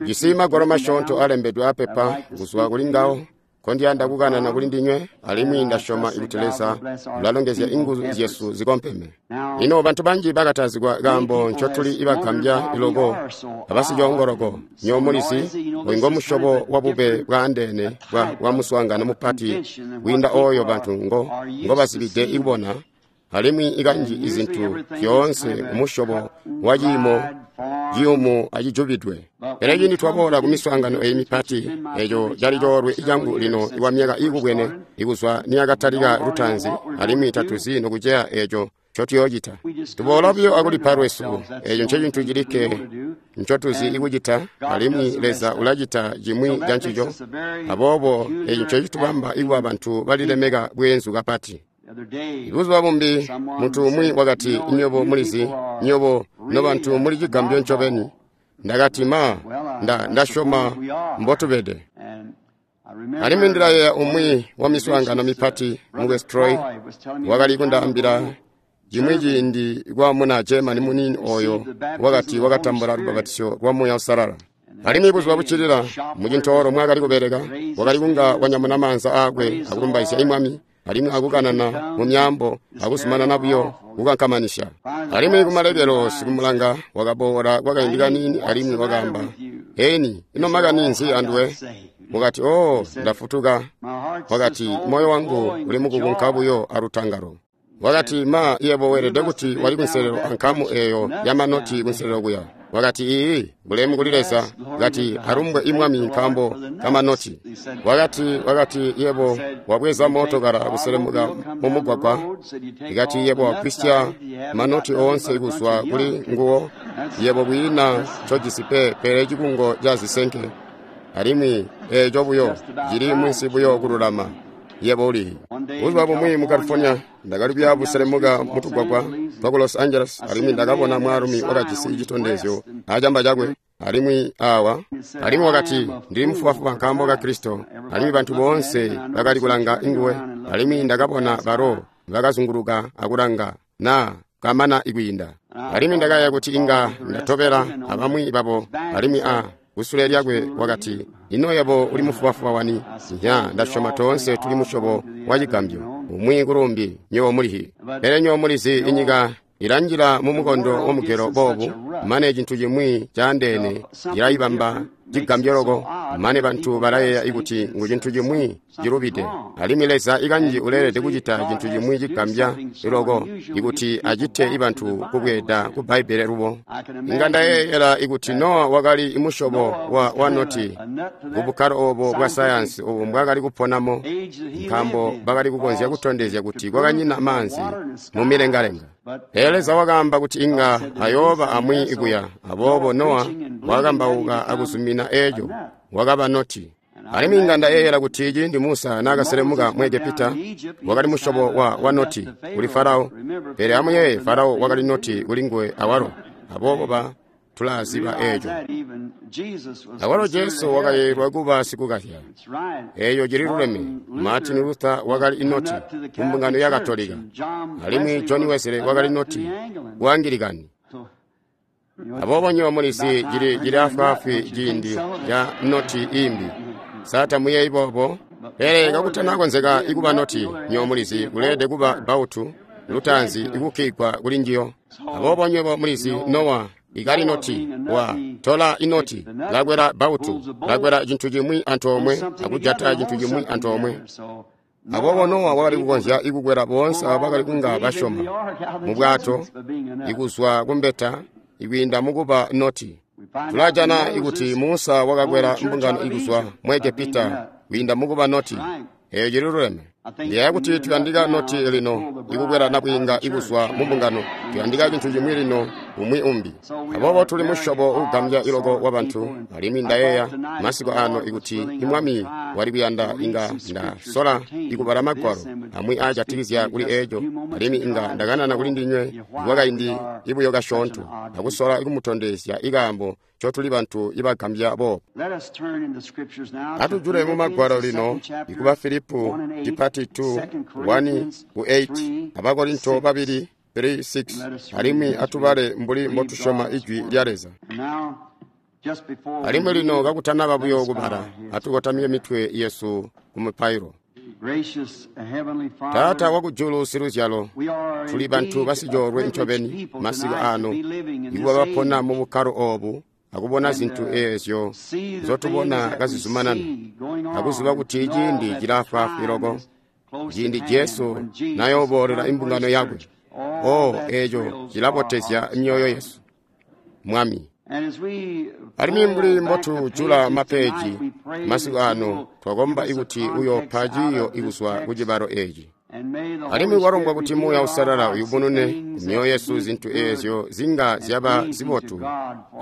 Jisi magwalo masyoonto alembedwe apepa kuzwa kuli ngawo nkondiyanda kukanana kuli ndinywe, alimwi ndasyoma kuti Leza ulalongezya inguzu zyesu zikompeme. Lino bantu banji bakatazigwa kaambo ncotuli ibagambya loko abasicoongoloko. Nywebo mulizi, oyu ngomusyobo wabube bwaandeene bwa muswaangano mupati kwiinda ooyo bantu ngobazibide kubona, alimwi ikanji izintu zyoonse kumusyobo waciimo ciyumu acijubidwe. Pele ciindi twaboola kumiswaangano eyi mipati, eco cali coolwe cangu lino ikwamyaka iikubwene ikuzwa niyakatalika lutaanzi, alimwi tatuzi nokuceya eco ncotuyoocita. Tuboola buyo akulipa lwesu, eco ncecintu cilikke ncotuzi ikucita, alimwi Leza ulacita cimwi cancico. Aboobo eco ncecitubamba ikuba bantu balilemeka bweenzu kapati. Buzuba bumbi muntu umwi wakati, nywebo mulizi, nywebo nobantu muli cigambyo ncobeni. Ndakati, ma, ndasyoma mbotubede. Alimwi ndilayeeya umwi wa miswaangano mipati mu West Troy wakali kundaambila cimwi ciindi kwa muna Germany muniini ooyo wakati wakatambula lubapatizyo lwa Muuya Uusalala. Alimwi buzuba buccilila mucintoolo mwaakali kubeleka, wakali kunga wanyamuna maanza aakwe akulumbaizya Mwami, alimwi akukanana mu myaambo akuzumanana buyo kukankamanisya. Alimwi kumalekelo sikumulanga wakaboola kwakaindi kaniini alimwi wakaamba, Eni, ino makani nzi anduwe? Wakati, oh, ndafutuka. Wakati, moyo wangu uli mukukunka buyo alutangalo. Wakati, ma, yebo weelede kuti wali kunselelo ankamu eeyo yamanoti kunselelo kuya. Wakati, iiyi, bulemu kuli Leza. Wakati, alumbwe imwami nkaambo kamanoti. Wakati, yebo wabweza mootokala kuselemuka mumugwagwa. Ikati, yebo wagwisya manoti oonse kuzwa kuli nguwo. Yebo kwiina ncojisi pe, pele cikungo ca zisenke. Alimwi eeco buyo cili munsi buyo kululama. Yebo uli. Buzuba bumwi mu California, ndakali kuya buselemuka mutugwagwa twaku Los Angeles, alimwi ndakabona mwaalumi wakajisi citondezyo acamba cakwe, alimwi awa, alimwi wakati, ndili mufubafuba nkaambo ka Kristo, alimwi bantu boonse bakali kulanga nguwe, alimwi ndakabona balo bakazunguluka akulanga na kamana ikwiinda. Alimwi ndakayeeya kuti inga ndatobela abamwi babo, alimwi kusule lyakwe wakati, ino yebo uli mufubafuba wani? Nya, ndasyoma toonse tuli musyobo wa cigambyo, umwi kulumbi, nywebo mulihi. Pele nywebo mulizi inyika ilanjila mumukondo wamugelo boobu, mane cintu cimwi caandeene cilayibamba cigambyo loko, mane bantu balayeeya kuti ngu cintu cimwi cilubide. Alimwi Leza ikanji uleelede kucita cintu cimwi cigambya loko ikuti acite ibantu kubweeda ku Bbaibbele lubo. Inga ndayeeyela ikuti Nowa wakali musyobo wa noti kubukkalo oobo bwa sayansi obo mbwaakali kuponamo, nkaambo bakali kukonzya kutondezya kuti kwakanyina maanzi mumilengalenga. Pele Leza wakaamba kuti inga ayooba amwi ikuya, aboobo Nowa wakakambauka akuzumina eeco, wakaba noti. Alimwi inga ndayeeyela kuti ciindi Musa naakaselemuka mu Egepita, wakali musyobo wa noti kuli Farao. Pele amuyeeye, Farao wakali noti kuli nguwe awalo, aboobo tulaziba eeco. Awalo Jesu wakayeeyelwa kuba sikukazya. Eeyo cililuleme. Martin Luther wakali noti kumbungano ya Katolika, alimwi John Wesley wakali noti ku Angilikani. Aboobo nywebo mulizi cili afwaafwi ciindi ca noti imbi. Sa tamuyeeyi boobo? Pele kakutanakonzeka ikuba noti, nywebo mulizi kuleelede kuba bautu lutaanzi ikukkigwa kuli njiyo. Aboobo nywebo mulizi Nowa ikali noti, wa tola inoti, lakwela bautu, lakwela cintu cimwi antoomwe, akujata cintu cimwi antoomwe. Aboobo Nowa wakali kukonzya ikukwela boonse abo bakali kunga basyoma mu bwato, ikuzwa kumbeta, ikwiinda mukuba noti. Tulajana ikuti Musa wakakwela mbungano ikuzwa mu Egepita kwiinda mukuba noti. Eeyo cililuleme. Ndiyeeya kuti tuyandika noti lino ikukwela nabwiinga ikuzwa mumbungano. Tuyandika cintu cimwi lino umwi umbi. Aboobo tuli musyobo uugambya iloko wabantu, alimwi ndayeeya masiku ano ikuti imwami wali kuyanda inga ndasola ikubala magwalo amwi aajatikizya kuli eeco, alimwi inga ndakanana kuli ndinywe kwakaindi ibuyo kasyoonto akusola ikumutondezya ikaambo ncotuli bantu ibagambya boobo. Atujule mu magwalo lino ikuba Filipu chipati 2 1 ku 8 Abakorinto 2 3 6, alimwi atubale mbuli mbotusyoma ijwi lya Leza. Alimwi lino kakutanaba buyo kubala, atukotamike mitwe yesu ku mupailo. Taata wakujulu siluzyalo, tuli bantu basicoolwe ncobeni masiku ano, ikuba bapona mu bukkalo oobu akubona zintu eezyo nzotubona kazizumanana, akuziba kuti ciindi cilaafwaafwi loko, ciindi Jesu nayooboolela imbungano yakwe. O, eeco cilabotezya myoyo yesu, Mwami. Alimwi mbuli mbotujula mapeeji masiku ano, twakomba ikuti uyoopa ciiyo ikuzwa ku cibalo eeci. Alimwi kwalombwa kuti Muuya Uusalala uyubunune kumyoyo yesu zintu eezyo zinga zyaba zibotu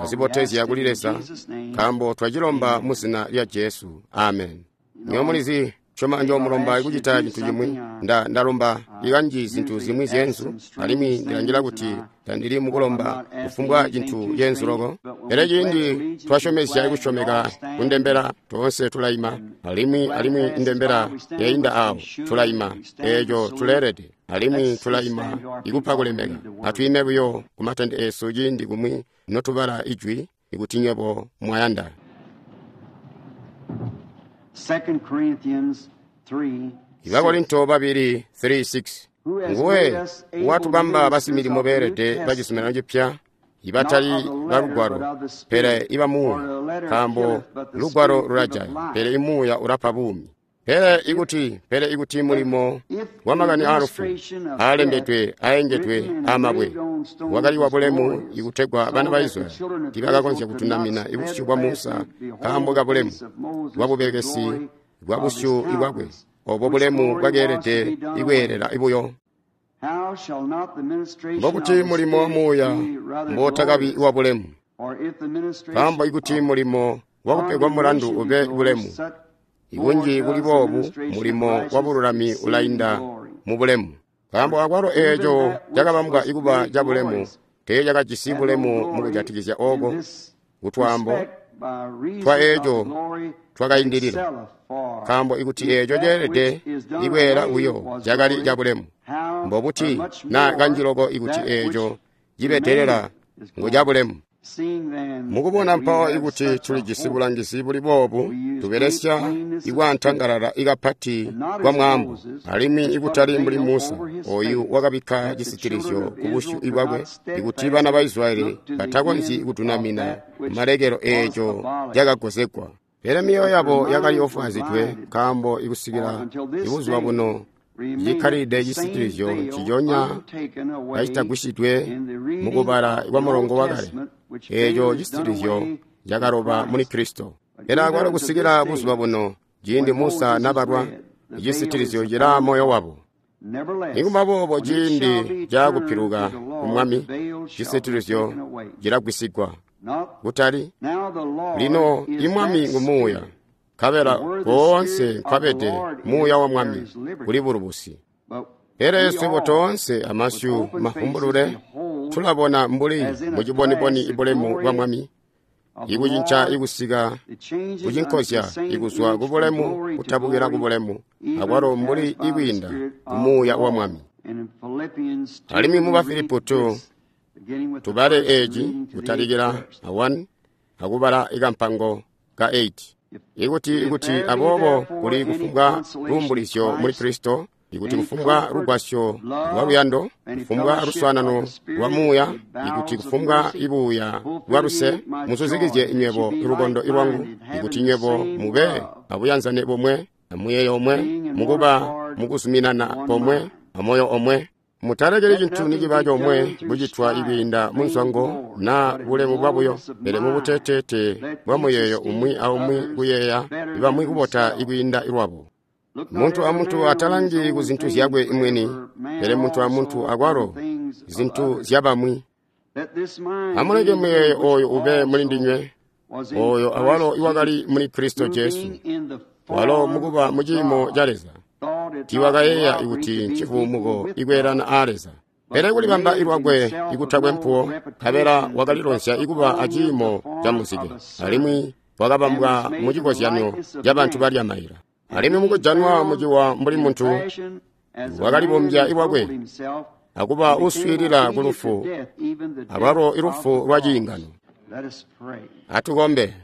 azibotezya kuli Leza, nkaambo twacilomba mu zina lya Jesu. Amen. Nywebo mulizi, syoma njoomulomba ikucita cintu cimwi. Ndalomba ikanji zintu zimwi zyeenzu, alimwi ndilangila kuti tandili mukulomba kufumbwa cintu ceenzu loko. Pele ciindi twasyomezya ikusyomeka kundembela, toonse tulaima, alimwi indembela yainda aawo tulaima, eeco tuleelede, alimwi tulaima ikupa kulemeka. Atwiime buyo kumatende eesu ciindi kumwi notubala ijwi, ikuti nywebo mwayanda. 2 Corinthians 3. Bakorinto babili 3:6. Nguwe watubamba basimilimo beelede bacizuminano cipya, ibatali balugwalo, pele iba Muuya, nkaambo lugwalo lulajaya, pele imuuya ulapa buumi. Pele ikuti mulimo wamakani aalufu aalembedwe aengedwe aamabwe wakali wabulemu ikutegwa bana ba Israyeli tiibakakonzya kutunamina ibusyu bwa Musa nkaambo kabulemu bwabubelekesi bwa busyu bwakwe, obo bulemu bwakeelede ikweelela buyo. Mbokuti mulimo wa Muuya mbootakabi wabulemu, nkaambo ikuti mulimo wakupegwa mulandu ube bulemu, ikunji kuli boobu mulimo wabululami ulainda mubulemu. Nkaambo akwalo eeco cakabambwa ikuba cabulemu teecakajisi bulemu mukujatikizya ooko kutwaambo twa eeco twakaindilila. Nkaambo ikuti eeco ceelede ikweela buyo cakali cabulemu, mbobuti na kanji loko ikuti eeco cibedelela ngu cabulemu. Mukubona mpawo ikuti tulijisi bulangizi buli boobu, tubelesya ikwaantangalala ikapati kwa mwaambo, alimwi ikutali mbuli Musa, oyu wakabikka cisitilizyo ku busyu bwakwe, ikuti bana ba Israyeli batakonzyi kutunamina malekelo eeco cakagozegwa. Pele myoyo yabo yakali ofwaazidwe, nkaambo ikusikila ibuzuba buno cikkalilide cisitilizyo nciconya kacitagwisyidwe mukubala kwa mulongo wakale, eeco cisitilizyo cakaloba muli Kristo. Pele akwalo kusikila buzuba buno, ciindi Musa nabalwa, icisitilizyo cilaa moyo wabo. Nikuba boobo ciindi cakupiluka ku Mwami, cisitilizyo cilagwisigwa. Kutali lino imwami ngu Muuya, nkabela koonse nkwabede Muuya wa Mwami kuli bulubusi. Pele swebo toonse amasyu mafumbulule tulabona mbuli muciboniboni ibulemu bwa Mwami, ikucinca ikusika kucinkozya ikuzwa kubulemu kutabukila kubulemu, akwalo mbuli ikwiinda ku Muuya wa Mwami. Alimwi mu Bafilipo 2 tubale eeci kutalikila a 1 akubala ikampango ka 8. Ikuti aboobo kuli kufumbwa luumbulizyo muli Kristo, ikuti kufumbwa lugwasyo lwa luyando, kufumbwa luswaanano lwa Muuya, ikuti kufumbwa ibuuya bwa luse, muzuzikizye nywebo lukondo lwangu, ikuti nywebo mube abuyanzane bomwe, amuyeeyo omwe, mukuba mukuzuminana pomwe, amoyo omwe. Mutalekeli cintu niciba comwe kucitwa ikwiinda munzwango naa bulemu bwabuyo, pele mubuteteete bwa muyeeyo umwi aumwi kuyeeya ibamwi kubota ikwiinda lwabo. Muntu amuntu atalangi ku zintu zyakwe mwini, pele muntu amuntu akwalo zintu zyabamwi. Amuleke muyeeyo ooyu ube muli ndinywe, ooyo awalo iwakali muli Kristo Jesu, walo mukuba muciimo ca Leza. Tiiwakayeeya kuti ncivuumuko ikweelana aa Leza. Pele kulibamba ilwakwe ikutakwe mpuwo, nkabela wakalilonzya ikuba aciimo ca muzike, alimwi wakabambwa mucikozyanyo cabantu balya maila. Alimwi mukujanwa muciwa mbuli muntu, wakalibombya ilwakwe akuba uswiilila ku lufu, alwalo ilufu lwa ciingano. Atukombe.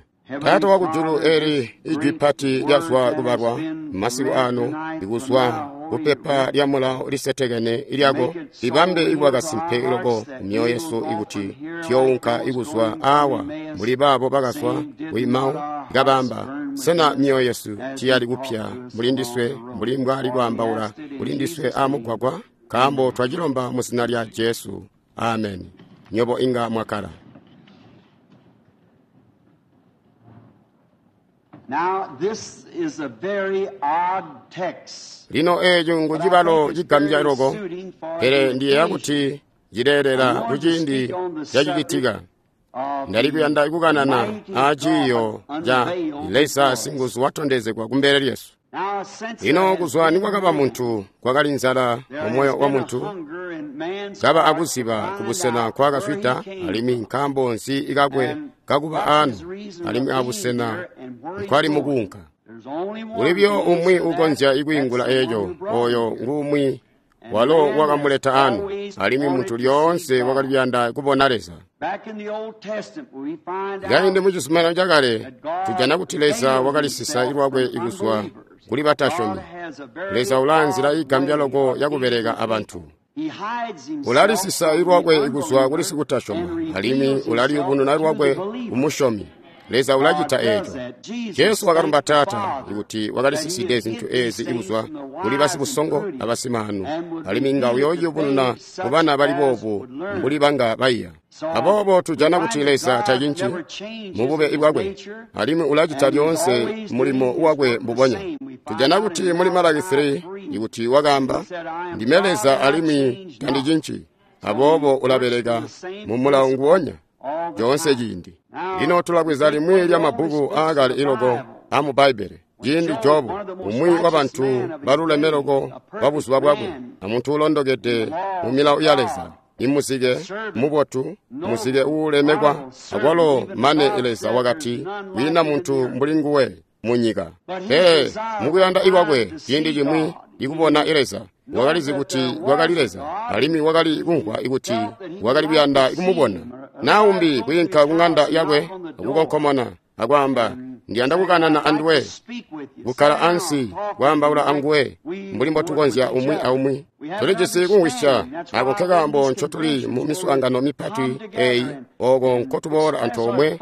Taata wakujulu, eli ijwi pati lyazwa kubalwa masiku ano, ikuzwa kupepa lya mulawo lisetekene ilyako, libambe ikuba kasimpe loko kumyoyo yesu ikuti tuyounka ikuzwa awa mbuli baabo bakazwa kuimawo kabamba, sena myoyo yesu tiyali kupya muli ndiswe mbuli mbwali kwaambaula kuli ndiswe amugwagwa? Nkaambo twacilomba mu zina lya Jesu. Amen. Nyobo inga mwakala. Now, this is a very odd text. Lino eeco ngu cibalo cigambya loko, pele ndiyeeya kuti cileelela kuciindi cacicitika. Ndali kuyanda kukanana aaciiyo ca Leza singuzu watondezegwa kumbele lyesu. Lino kuzwa nikwakaba muntu, kwakali nzala mumoyo wa muntu, kaba akuziba kubusena nkwakazwida, alimwi nkaambo nzi ikakwe kakuba anu, alimwi abusena nkwali mukuunka. Kulibyo umwi ukonzya ikwiingula eeco, oyo ngumwi walo wakamuleta anu, alimwi muntu lyoonse wakali kuyanda kubona Leza. Kaindi mu Cizuminano Cakale, tujana kuti Leza wakalisisa lwakwe ikuzwa kuli batasyomi. Leza ulaa nzila igambya loko yakubeleka abantu. Ulalisisa lwakwe ikuzwa kuli sikutasyoma, alimwi ulaliyubununa lwakwe kumusyomi. Leza ulacita eeco. Jesu wakalumba Taata ikuti wakalisiside zintu eezi ikuzwa kuli basibusongo abasimaanu, alimwi inga uyooyubununa kubana bali boobu mbuli banga baiya. Aboobo tujana kuti Leza tacinci mubube bwakwe, alimwi ulacita lyoonse mulimo wakwe mbubonya. Tujana kuti muli Malaki 3 ikuti wakaamba, ndime Leza alimwi tandicinci. Aboobo ulabeleka mumulawo nguwonya lyoonse ciindi. Lino tulabweza limwi lya mabbuku aakale iloko amu Bbaibbele. Ciindi Jobu, umwi wabantu baluleme loko wa buzuba bwakwe, amuntu uulondokede mu milawo ya Leza, imuzike mubotu, muzike uulemekwa, akwalo mane Leza wakati kwiina muntu mbuli nguwe munyika. Pele mukuyanda ikwakwe ciindi cimwi ikubona Leza, wakalizi kuti wakali Leza, alimwi wakali kumvwa ikuti wakali kuyanda kumubona. Naumbi kwiinka kuŋanda yakwe akukonkomona akwaamba, ndiyanda kukanana anduwe, kukkala ansi kwaambaula anguwe mbuli mbotukonzya umwi aumwi. Tulijisi kumvwisya ako nkekaambo ncotuli mu miswaangano mipati eeyi, ooko nkotuboola antoomwe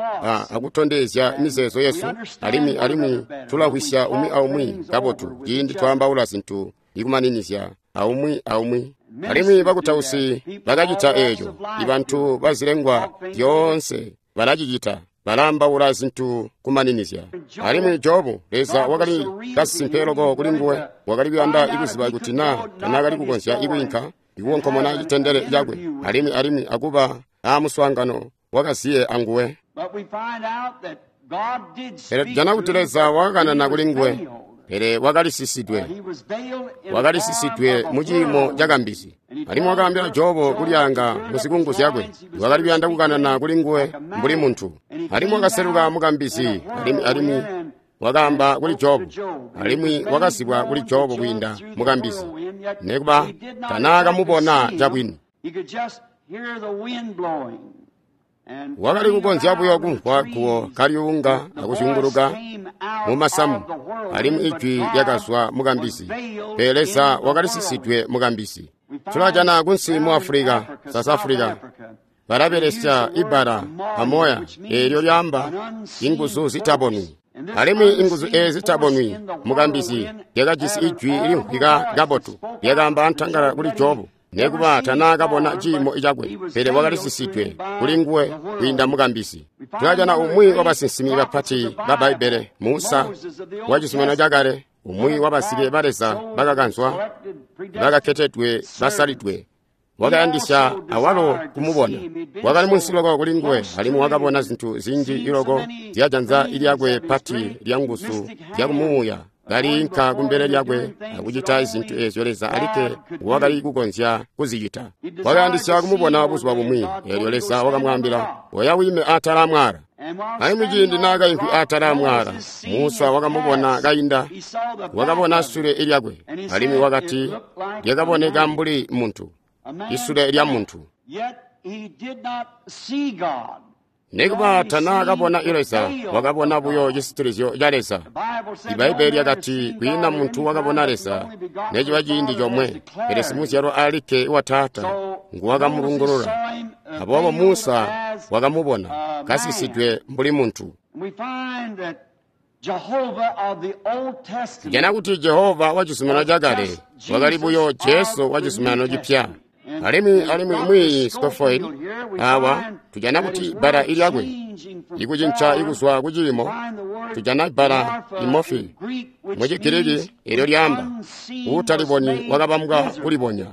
akutondezya mizeezo yesu, alimwi tulamvwisya umwi aumwi kabotu ciindi twaambaula zintu ikumaninizya aumwi aumwi. Alimwi bakutausi bakacita eeco, ibantu bazilengwa zyoonse balacicita, balaambaula zintu kumaninizya. Alimwi Jobu, Leza wakali kasimpe loko kuli nguwe, wakali kuyanda ikuziba kuti naa tanaakali kukonzya ikwiinka ikukonkomona citendele cakwe, alimwi akuba aamuswaangano wakaziye anguwe. Pele tujana kuti Leza wakakanana kuli nguwe, pele wakalisisidwe, wakalisisidwe mu ciimo cakambizi. Alimwi wakaambila Jobu kulyaanga muzikungu zyakwe, wakali kuyanda kukanana kuli nguwe mbuli muntu. Alimwi wakaseluka mukambizi, alimwi wakaamba kuli Jobu, alimwi wakazibwa kuli Jobu kwiinda mukambizi, nekuba tanaakamubona cabwini. Wakali kukonzya buyo kumvwa guwo kalyuunga akuzyunguluka mumasamu, alimwi ijwi lyakazwa mukambizi, pele Leza wakalisisidwe mukambizi. Tulajana kunsi mu Afulika, South Africa, balabelesya ibbala amoya eelyo lyaamba inguzu zitabonwi. Alimwi inguzu eezi zitabonwi mukambizi lyakajisi ijwi limvwika kabotu, lyakaamba antangala kuli Jobu. Nekuba tanaakabona ciimo cakwe, pele wakalisisidwe kuli nguwe kwiinda mukambizi. Tulajana umwi wabasinsimi bapati ba Bbaibbele, Musa wa Cizuminano Cakale, umwi wabasike ba Leza bakakanzwa, bakaketedwe, basalidwe, wakayandisya awalo kumubona. Wakali munsi loko kuli nguwe, alimwi wakabona zintu zinji iloko zyajanza lyakwe pati lya nguzu zyakumuuya kaliinka kumbele lyakwe akucita zintu eezyo Leza alikke wakali kukonzya kuzicita. Wakayandisya kumubona buzuba bumwi, eelyo Leza wakamwaambila, oya wime atala amwaala. Alimwi ciindi naakaimvwi atala amwaala, Musa wakamubona kainda, wakabona sule lyakwe, alimwi wakati lyakaboneka mbuli muntu, isule lya muntu. Nikuba tanaakabona Leza, wakabona buyo cisitilizyo ca Leza. Ibbaibbele lyakati kwiina muntu wakabona Leza neciba ciindi comwe, pele simuzyalwa alikke wa Taata nguwakamulungulula. Aboobo Musa wakamubona kasisidwe mbuli muntu. Tujana kuti Jehova wa Cizuminano Cakale wakali buyo Jesu wa Cizuminano Cipya. Alimwi mwiiyi Scofield awa tujana kuti bbala ilyakwe ikucinca ikuzwa kuciimo, tujana bbala imofi mu Chigiriki elyo lyaamba uutalibonyi wakabambwa kulibonya.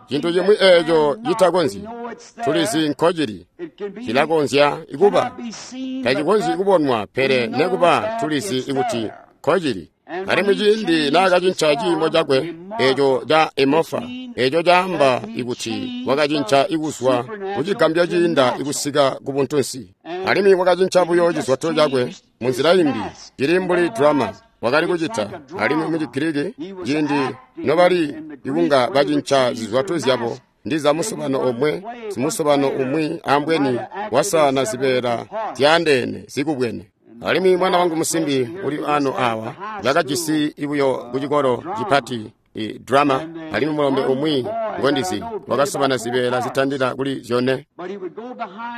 Cintu cimwi eeco citakonzyi, tulizi nkocili, cilakonzya kuba, tacikonzyi kubonwa, pele nekuba tulizi kuti nkocili. Alimwi ciindi naakacinca ciimo cakwe eeco ca emofa, eeco caamba ikuti wakacinca ikuzwa kucigambyo ciinda ikusika ku buntunsi. Alimwi wakacinca buyo cizwato cakwe munzila imbi, cili mbuli drama wakali kucita. Alimwi mu Chigiriki ciindi nobali ikunga bacinca zizwato zyabo ndiza musobano omwe, simusobano umwi ambweni wasaana zibeela zyaandeene zikubwene. Alimwi mwana wangu musimbi uli ano awa bakajisi ibuyo kucikolo cipati drama, alimwi mulombe umwi ngondizi wakasobana zibeela zitandila kuli zyone.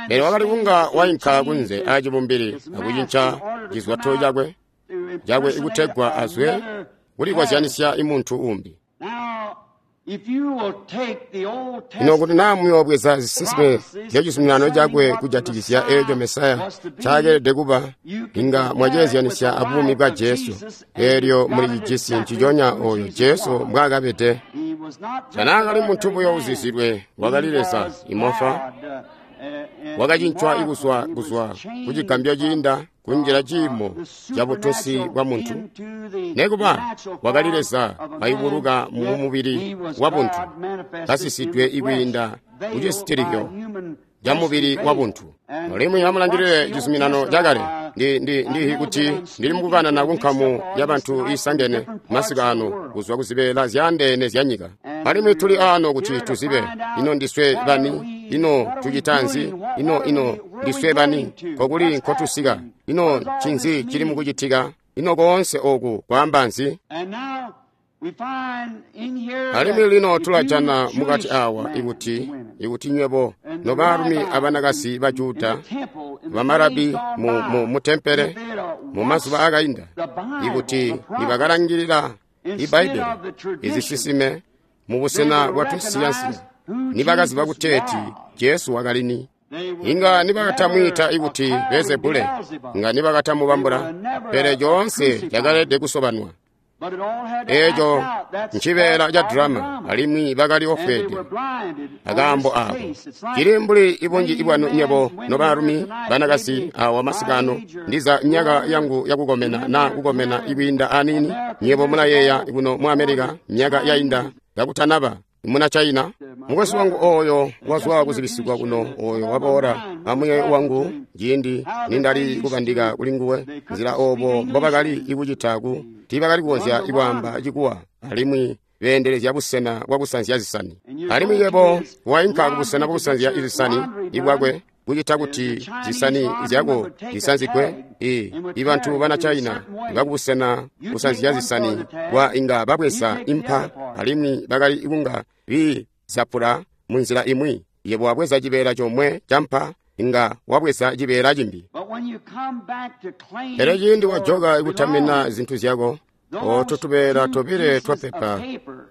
Pele wakali kunga wainka kunze aacibumbili akucinca cizwato cakwe ikutegwa azwe kulikozyanisya imuntu umbi. Ino kuti naa muyoobweza zisinsime zya cizuminano cakwe kujatikizya eeco Mesaya ncakeelede kuba, inga mwaceezyanisya abuumi bwa Jesu, eelyo mulicijisi nciconya ooyo Jesu mbwaakabede. Tanaakali muntu buyo uzizilwe, wakali Leza imofa, wakacincwa ikuzwa kucigambyo ciinda kunjila ciimo ca buntunsi bwa muntu. Nekuba wakali Leza wayubuluka mu mubili wa buntu, kasisidwe ikwiinda kucisitilizyo ca mubili wa buntu. Alimwi amulangilile cizuminano cakale. Ndihi kuti ndili mukukanana kunkamu ya bantu iisangene masiku ano kuzwa kuzibeela zyaandeene zya nyika. Alimwi tuli ano kuti tuzibe ino ndiswe bani, ino tucita nzi, ino ndiswe bani, kokuli nkotusika, ino ncinzi cili mukucitika, ino koonse oku kwaamba nzi. Alimwi lino tulajana mukati awa ikuti nywebo nobaalumi abanakazi ba Juda bamarabi mu tempele mu mazuba akainda, ikuti nibakalangilila Ibbaibbele izisisime mubusena bwa tunsiyansiya, nibakaziba kuteeti Jesu wakali ni. Inga nibakatamwiita ikuti Beelzebule, inga nibakatamubambula, pele coonse cakaleelede kusobanwa. Eeco ncibeela ca drama, alimwi bakali ofweede akaambo aako. Cili mbuli ibunji ibwanu nywebo nobaalumi banakazi awa masikano, ndiza myaka yangu yakukomena naa kukomena ikwiinda aniini. Nywebo mulayeeya kuno mu Amerika myaka yainda kakutanaba muna China. Mukwesu wangu ooyo wazwa kuzibisigwa kuno, ooyo waboola amuye wangu ciindi nindali kubandika kuli nguwe nzila oobo mbobakali ikucita ku tiibakali kukonzya ikwaamba cikuwa, alimwi beendelezya busena bwakusanzya zisani. Alimwi yebo wainka kubusena bwakusanzya zisani ibwakwe kucita kuti zisani zyako zisanzigwe. Ibantu bana China bakubusena kusanzya zisani bwa inga babweza impa, alimwi bakali kunga biizapula munzila imwi. Yebo wabweza cibeela comwe ca mpa, inga wabweza cibeela cimbi. Pele ciindi wajoka ikutamina zintu zyako, ooto tubeela tobile twapepa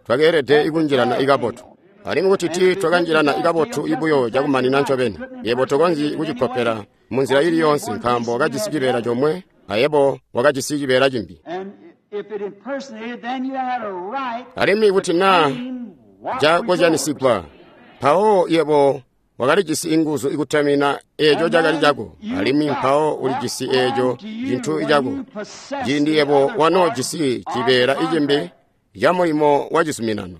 twakeelede ikunjilana ikabotu. Alimwi kuti tii twakanjilana ikabotu ibuyo cakumanina ncobeni, yebo tokonzyi kucikopela munzila ili yoonse, nkaambo wakajisi cibeela comwe ayebo wakajisi cibeela cimbi. Alimwi kuti naa cakozyanisigwa, mpawo yebo wakalijisi inguzu ikutamina eeco cakali cako, alimwi mpawo ulijisi eeco cintu cako. Ciindi yebo wanoojisi cibeela icimbi ca mulimo wa cizuminano.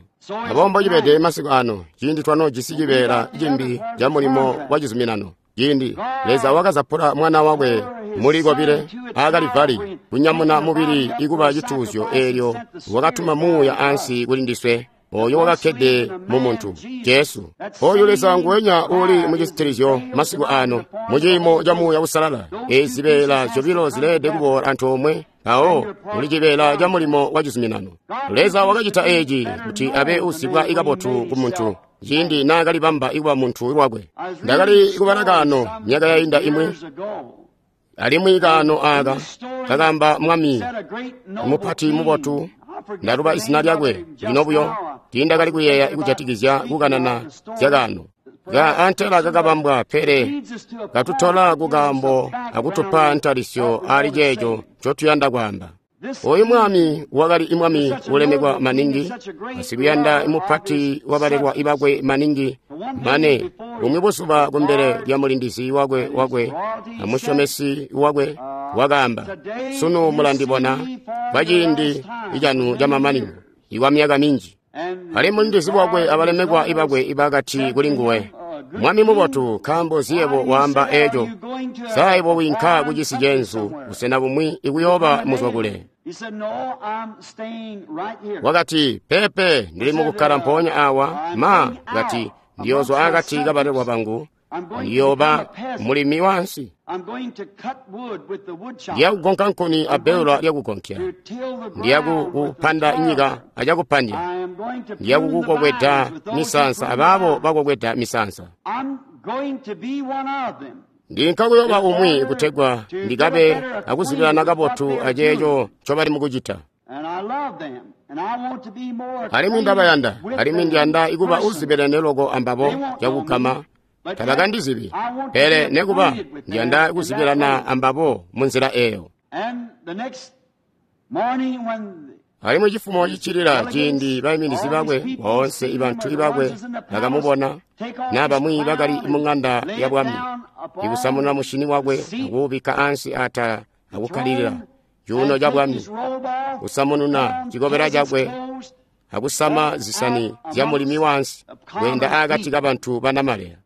Aboobo mbocibede masiku ano, ciindi twanoojisi cibeela cimbi ca mulimo wa cizuminano. Ciindi Leza wakazapula mwana wakwe muli kobile aakalivali kunyamuna mubili ikuba cituuzyo, eelyo wakatuma muuya ansi kuli ndiswe. Oyo wakakkede mu muntu, Jesu. Oyu Leza nguwenya uli mucisitilizyo masiku ano, mu ciimo ca Muuya Uusalala. Ezi zibeela zyobilo zileelede kuboola antoomwe, mpawo muli cibeela ca mulimo wa cizuminano. Leza wakacita eci kuti abe uzibwa kabotu ku muntu, ciindi naakalibamba kuba muntu lwakwe. Ndakali kubala kaano myaka yainda imwi, alimwi kaano aaka kakaamba mwami mupati mubotu. Ndaluba izina lyakwe lino buyo, tiindakali kuyeeya kujatikizya kukanana zyakaano. Ka antela kakabambwa, pele katutola kukaambo akutupa ntalisyo ali ceeco ncotuyanda kwaamba. Oyu mwami wakali mwami ulemekwa maningi, asikuyanda mupati wabalelwa ibakwe maningi, mane bumwi buzuba kumbele lya mulindizi wakwe wakwe amusyomesi wakwe wakaamba, sunu mulandibona kwa ciindi canu camamanino ikwa myaka minji. Alimwi mulindizi wakwe abalemekwa ibakwe ibakati kuli nguwe, mwami mubotu, nkaambo ziyebo waamba eeco, sa ibo winka kucisi cenzu busena bumwi ikuyooba muzwa kule. Wakati, pepe, ndili mukukkala mpoonya awa. Ma kati, ndiyoozwa akati kabalelwa bangu, ndiyooba mulimi wansi. Ndiyakugonka nkuni abbewula lyakugonkya, ndiyakukupanda nyika acakupandya, ndiyakukukokweda misansa abaabo bakokweda misansa. Ndinka kuyoba umwi kutegwa ndikabe akuzibilana kabotu aceeco ncobali mukucita. Alimwi ndabayanda, alimwi ndiyanda ikuba uzibilene loko ambabo cakugama. Tabakandizibi, pele nekuba ndiyanda kuzibilana ambabo munzila eyo. Alimwi cifumo ciccilila ciindi baiminizi bakwe boonse ibantu bakwe bakamubona, na bamwi bakali mu ŋanda ya bwami, ikusamuna mushini wakwe akuubikka ansi atala akukkalilila cuuno ca bwami, kusamununa cikobela cakwe akusama zisani zya mulimi wansi, kweenda akati kabantu banamaleya.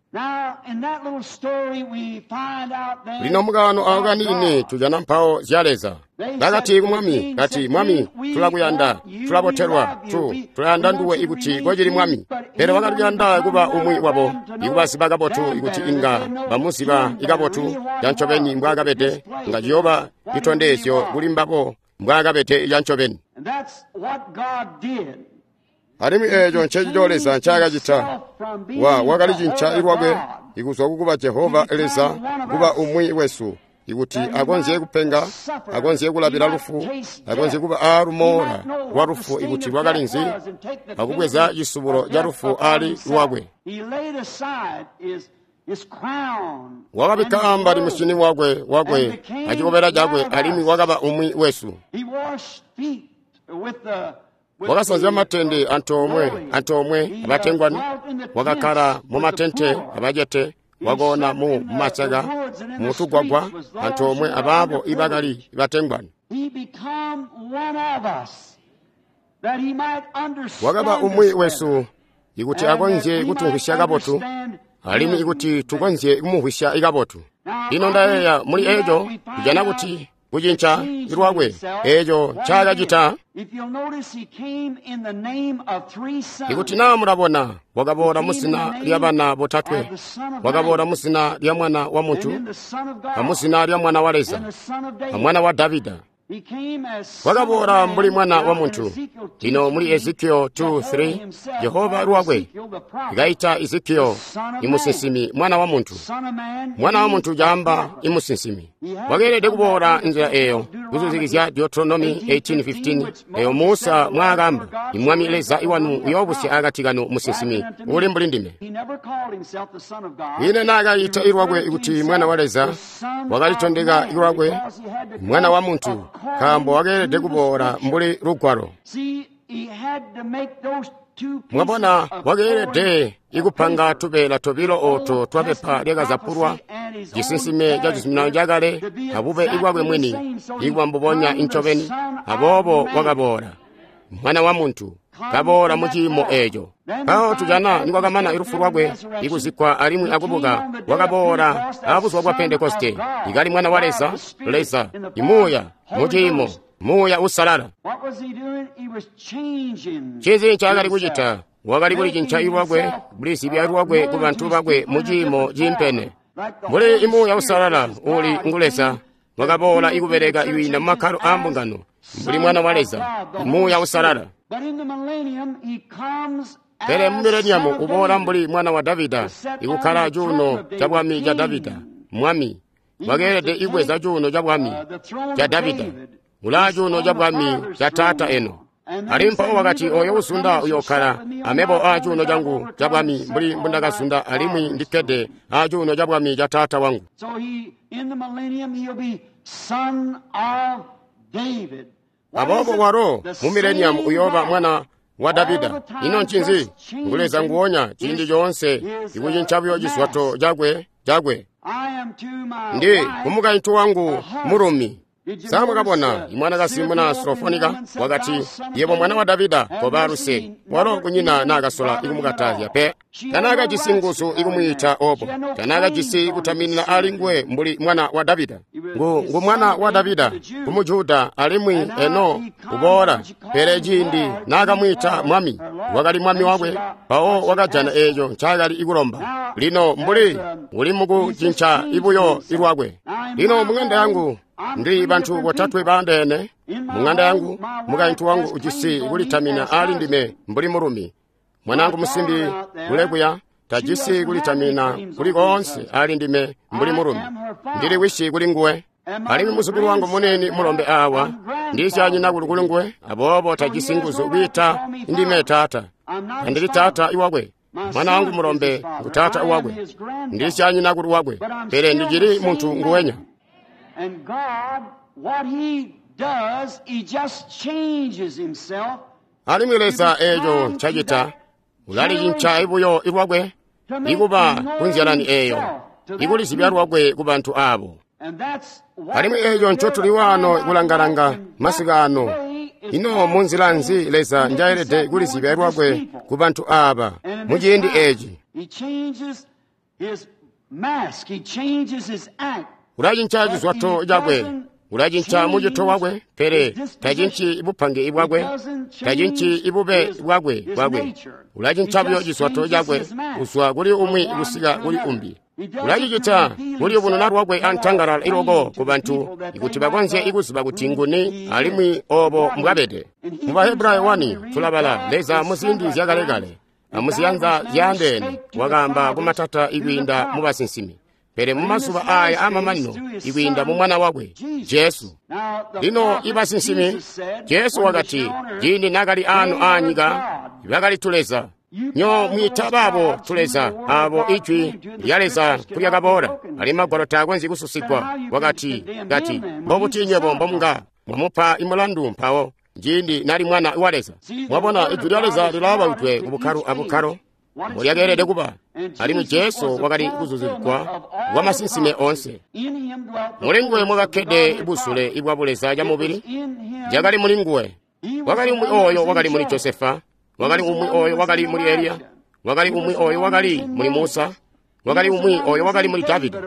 Lino mukaano ako kaniini tujana mpawo zya Leza. Bakati ku mwami, kati, mwami, tulakuyanda, tulabotelwa, tulayanda nduwe ikuti kocili mwami. Pele wakali kuyanda kuba umwi wabo, ikubaziba kabotu ikuti inga bamuziba ikabotu cancobeni mbwaakabede, nga ciyooba citondezyo kuli mbabo mbwaakabede cancobeni. Alimwi eeco ncencico Leza ncaakacita. Wakalicinca lwakwe ikuzwa kukuba Jehova Leza kuba umwi wesu, ikuti akonzye kupenga, akonzye kulabila lufu, akonzye kuba aalumoola lwa lufu ikuti lwakali nzi, akubweza cisubulo ca lufu ali lwakwe. Wakabikka ambali musyini wakwe wakwe acikobela cakwe, alimwi wakaba umwi wesu. Wakasanzya matende antoomwe abatengwani, wakakkala mumatente abacete, wakoona mu masaka mutugwagwa antoomwe abaabo ibakali batengwani. Wakaba umwi wesu ikuti akonzye kutumvwisya kabotu, alimwi ikuti tukonzye kumumvwisya kabotu. Lino ndayeeya muli eeco kujana kuti kucinca lwakwe eeco ncaakacita. Ikuti naa mulabona, wakaboola muzina lya bana botatwe, wakaboola muzina lya mwana wa muntu, amuzina lya mwana wa Leza, amwana wa Davida. Wakaboola mbuli mwana wa muntu. Lino muli Ezekiel 2:3, Jehova lwakwe kaita Ezekiel imusinsimi mwana wa muntu. Mwana wa muntu caamba imusinsimi. Wakeelede kuboola nzila eyo kuzuzikizya Deuteronomy 18:15 eyo Musa mwaakamba, imwami Leza iwanu uyoobusya akati kanu musinsimi uli mbuli ndime. Ine naakayita ilwakwe kuti mwana wa Leza, wakalitondeka ilwakwe mwana wa muntu, nkaambo wakeelede kuboola mbuli lugwalo. Mwabona, wakeelede ikupanga tubeela tobilo ooto twapepa lyakazapulwa, cisinsime ca cizuminano cakale abube ibwakwe mwini, ikuba mbubonya incobeni. Aboobo wakaboola mwana wa muntu, kaboola mu ciimo eeco. Mpawo tujana nikwakamana lufu lwakwe ikuzikkwa alimwi akubuka, wakaboola abuzuba bwa Pentekoste, ikali mwana wa Leza, Leza imuuya mu ciimo Muuya Uusalala. Ncinzi ncaakali kucita? Wakali kulicinca lwakwe, kulizibya lwakwe ku bantu bakwe mu ciimo ciimpene. Mbuli i Muuya Uusalala uuli ngu Leza, wakaboola ikubeleka kwiinda mu makkalo aa mbungano, mbuli Mwana wa Leza, Muuya Uusalala. Pele mu mileniamu uboola mbuli Mwana wa Davida, ikukkala cuuno ca bwami ca Davida, Mwami. Wakeelede ibweza cuuno ca bwami ca Davida, ulaa cuuno ca bwami ca Taata eno. Alimwi mpawo wakati, oyo uzunda uyokkala amebo aa cuuno cangu ca bwami mbuli mbundakazunda alimwi ndikkede aa cuuno ca bwami ca Taata wangu. Aboobo walo mu mileniamu uyooba mwana wa Davida. Ino ncinzi? Ngu Leza nguonya ciindi coonse, ikucinca buyo cizwato cakwe cakwe. Ndi kumukaintu wangu mulumi. Sa mwakabona imwanakazi muna Surofonika wakati, yebo mwana wa Davida, koba luse. Walo kunyina naakasola ikumukatazya pe. Tanaakajisi nguzu ikumwiita obo. Tanaakajisi kutaminina ali nguwe mbuli mwana wa Davida. Ngu mwana wa Davida ku Mujuda alimwi eno uboola. Pele ciindi naakamwiita mwami, wakali mwami wakwe, mpawo wakajana eeco ncaakali ikulomba. Lino mbuli uli mukucinca ibuyo ilwakwe. Lino mung'anda yangu ndi bantu botatwe baandeene. Mung'anda yangu mukaintu wangu ujisi kulitamina ali ndime mbuli mulumi. Mwanangu musimbi ulekuya tajisi kulitamina kuli koonse ali ndime mbuli mulumi. Ndili wisi kuli nguwe. Alimwi muzukulu wangu munini mulombe awa ndisyanyina kuli kuli nguwe, aboobo tajisi nguzu kwiita ndime taata. Andili taata iwakwe. Mwana wangu mulombe ngu taata wakwe. Ndisyanyina kuli wakwe, pele ndicili muntu nguwenya. And God, what he does, he just changes himself. Alimwi Leza eeco ncacita, ulalicinca ibuyo ilwakwe, ikuba kunzyalani eeyo, ikulizibya lwakwe ku bantu aabo. Alimwi eeco ncotuli waano kulangalanga masiku ano. Ino munzila nzi Leza njaelede kulizibya lwakwe ku bantu aaba mu ciindi eeci? Ulacinca cizwato cakwe, ulacinca mucito wakwe, pele tacinci bupange bwakwe, tacinci ibube bwakwe bwakwe. Ulacinca buyo cizwato cakwe kuzwa kuli umwi kusika kuli umbi. Ulacicita kuliyubununa lwakwe antangalala iloko ku bantu ikuti bakonzye ikuziba kuti nguni alimwi obo mbwabede. Mu Bahebrayo 1 tulabala Leza muziindi zyakalekale amuziyanza zyaandeene wakaamba kumatata ikwiinda mu basinsimi. Pele mumazuba aaya aamamanino ikwiinda mu Mwana wakwe Jesu. Lino ibasinsimi, Jesu wakati ciindi naakali aano aanyika bakali tuleza. Nyo mwiita baabo tuleza aabo ijwi lya Leza kulyakaboola, alimwi Magwalo taakonzyi kususigwa. Wakati kati mbobuti nywebo mbomunga mwamupa imulandu mpawo ciindi nali Mwana wa Leza. Mwabona ijwi lya Leza lilaabawidwe ku bukkalo abukkalo mbolyakeelede kuba, alimwi Jesu wakali kuzuzikwa kwa masinsime oonse. Muli nguwe mwakakkede busule bwa buleza ca mubili, cakali muli nguwe. Wakali umwi ooyo wakali muli Josefa, wakali umwi ooyo wakali muli Eliya, wakali umwi ooyo wakali muli Musa, wakali umwi ooyo wakali muli Davida.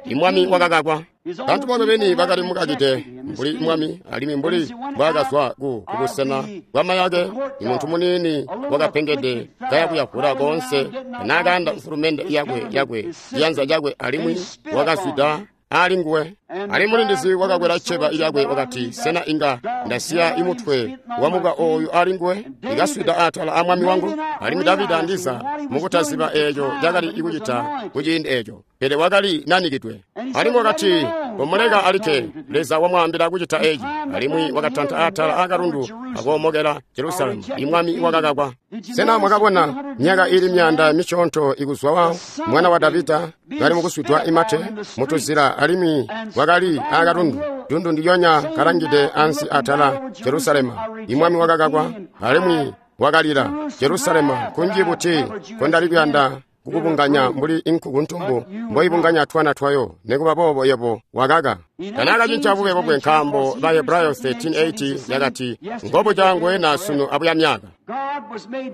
Imwami wakakakwa. Bantu bakwe beni bakali mukakide mbuli mwami, alimwi mbuli mbwaakazwa ku busena bwamayake, imuntu muniini wakapengede kaya kuyavula koonse naakaanda mfulumende yakwe yakwe ciyanza cakwe, alimwi wakazwida ali nguwe. Alimwi mulindizi wakakwela cceba lyakwe wakati, sena inga ndasiya imutwe wa muka ooyu ali nguwe ikaswida atala a mwami wangu? Alimwi Davida ndiza mukutaziba eeco cakali ikucita kuciindi eeco, pele wakali nanikidwe. Alimwi wakati, komuleka alikke, Leza wamwaambila kucita eeci. Alimwi wakatanta atala akalundu akoomokela Jerusalemu, imwami wakakakwa. Sena mwakabona myaka ili myanda misyoonto ikuzwa wa mwana wa Davida kali mukuswidwa imate mutuzila, alimwi wakali akalundu dundu ndilyonya kalangide ansi atala Jerusalemu. Imwami wakakakwa alimwi wakalila, Jerusalemu, kunji buti kondali kuyanda kukubunganya mbuli inkuku ntumbu mboibunganya twana twayo, nekuba boobo yebo wakaka. Tanaakacinca bube bwakwe, nkaambo Bahebrayo 13:8 yakati, ngobu cangwe na sunu abuya myaka.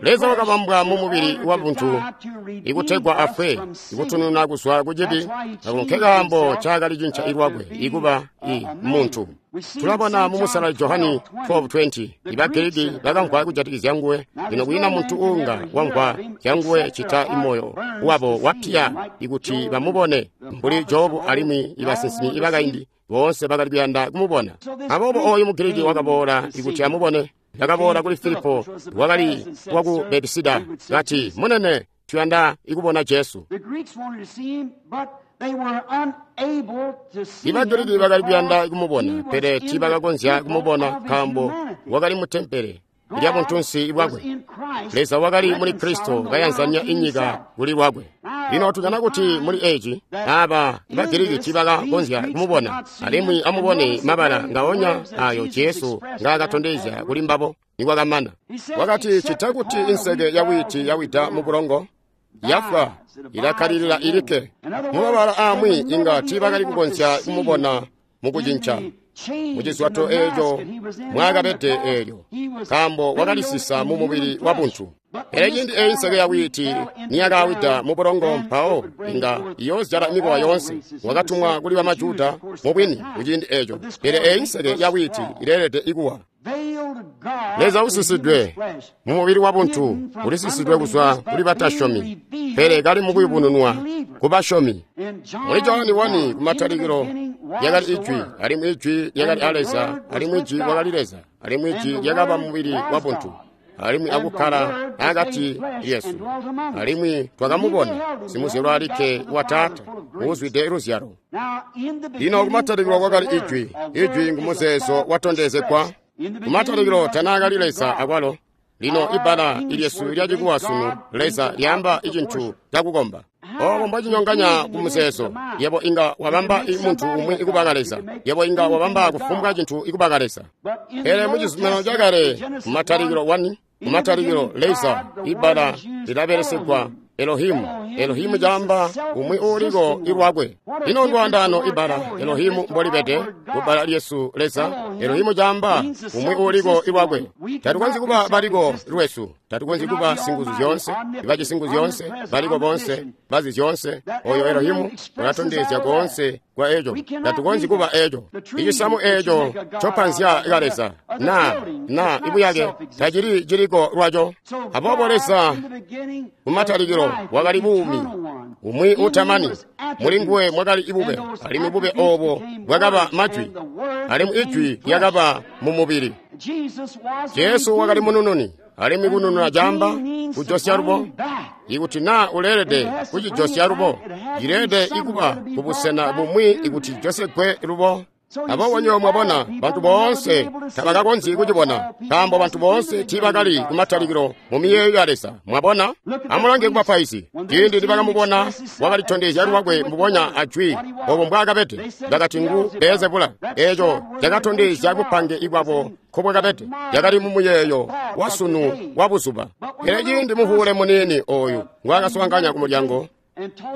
Leza wakabambwa mu mubili wa buntu ikutegwa afwe, ikutununa kuzwa ku cibi, ako nkekaambo ncaakali cinca lwakwe ikuba i muntu. Tulabona mu Musalali Johani 12:20, iba Giriki bakamvwa kujatikizya nguwe. Lino kwiina muntu uunga wamvwa zya nguwe cita imoyo wabo wapya ikuti bamubone, mbuli Jobu alimwi ibasinsimi ibakaindi boonse bakali kuyanda kumubona. Aboobo ooyu Mugiriki wakaboola ikuti amubone. Yakaboola kuli Filipo wakali waku Betisida, kati, "Munene, tuyanda ikubona Jesu." Ibagiriki bakali kuyanda kumubona, pele tiibakakonzya kumubona nkaambo wakali mu tempele lya buntunsi bwakwe. Leza wakali muli Kristo kayanzanya inyika kuli lwakwe. Lino tujana kuti muli eci aba Bagiriki tiibakakonzya kumubona. Alimwi amubone mabala ngaonya ayo Jesu ngaakatondezya kuli mbabo nikwakamana. Wakati, "Cita kuti inseke ya wiiti yawida mu bulongo, yafwa, ilakkalilila ilikke." Mumabala amwi inga tiibakali kukonzya kumubona mukucinca mucizwato eeco mwaakabede eelyo, nkaambo wakalisisa mu mubili wa buntu. Pele ciindi eyi nseke ya wiiti niyakawida mu bulongo, mpawo inga iyoozyala mikowa yoonse. Wakatumwa kuli bamajuda mubwini kuciindi eeco, pele eyi nseke ya wiiti ileelede ikuwa. Leza usisidwe mu mubili wa buntu, ulisisidwe kuzwa kuli batasyomi, pele kali mukuyubununwa ku basyomi. Muli Johani 1 kumatalikilo lyakali Ijwi, alimwi Ijwi lyakali a Leza, alimwi Ijwi wakali Leza, alimwi Ijwi lyakaba mubili wa buntu, alimwi akukkala akati lyesu, alimwi twakamubona simuzyalwa alikke wa Taata, uuzwide luzyalo. Lino kumatalikilo kwakali Ijwi. Ijwi ngumuzeezo watondezegwa. Kumatalikilo tanaakali Leza akwalo. Lino ibbala ilyesu lyacikuwa sunu Leza lyaamba icintu cakukomba. Obo mbwacinyonganya ku muzeezo. Yebo inga wabamba muntu umwi ikubaka Leza. Yebo inga wabamba kufumbwa cintu ikubaka Leza. Pele mu Cizuminano Cakale, kumatalikilo 1, kumatalikilo Leza ibbala lilabelesegwa Elohimu. Elohimu caamba umwi uuliko ilwakwe. Ino ndwaandaano ibbala Elohimu mbolibede kubbala lyesu Leza. Elohimu caamba umwi uuliko ilwakwe. Tatukonzyi kuba baliko lwesu, tatukonzyi kuba singuzu zyoonse, ibaci singuzu zyoonse, baliko boonse, bazi zyoonse. Oyo Elohimu ulatondezya koonse kwa eco. Tatukonzyi kuba eco. Icisamu eco copanzya ka Leza na ibuyake tacili ciliko lwaco. Aboobo Leza kumatalikilo wakali buumi, umwi utamani. Muli nguwe mwakali ibube, alimwi bube obo bwakaba majwi, alimwi ijwi lyakaba mu mubili. Jesu wakali munununi, alimwi kunununa caamba kujosya lubo. Ikuti na uleelede kucijosya lubo, cileelede ikuba kubusena bumwi ikuti josegwe lubo. Aboobo nywebo mwabona, bantu boonse tabakakonzyi kucibona, nkaambo bantu boonse tiibakali kumatalikilo mu miyeeyo ya Leza. Mwabona? Amulange kubapaizi. Ciindi nibakamubona, wakalitondezya lwakwe mbubonya ajwi obo mbwaakabede. Bakati ngu Beelzebula. Eeco cakatondezya bupange ibwabo nkobwakabede. Yakali mu muyeeyo wa sunu wa buzuba. Pele ciindi muhuule muniini ooyu ngwaakaswaanganya ku mulyango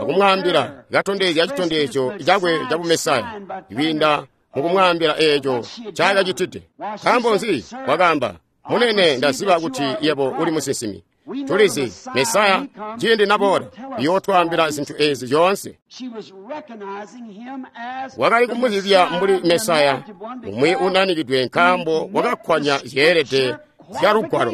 akumwaambila, katondezya citondezyo cakwe ca Bumesaya kwiinda mukumwaambila eeco ncaakacitide. Nkaambo nzi? Wakaamba, "Munene, ndaziba kuti yebo uli musinsimi. Tulizi Mesaya ciindi naboola uyootwaambila zintu ezi zyoonse." Wakali kumuzibya mbuli Mesaya umwi unanikidwe, nkaambo wakakkwanya zyeelede zya Lugwalo.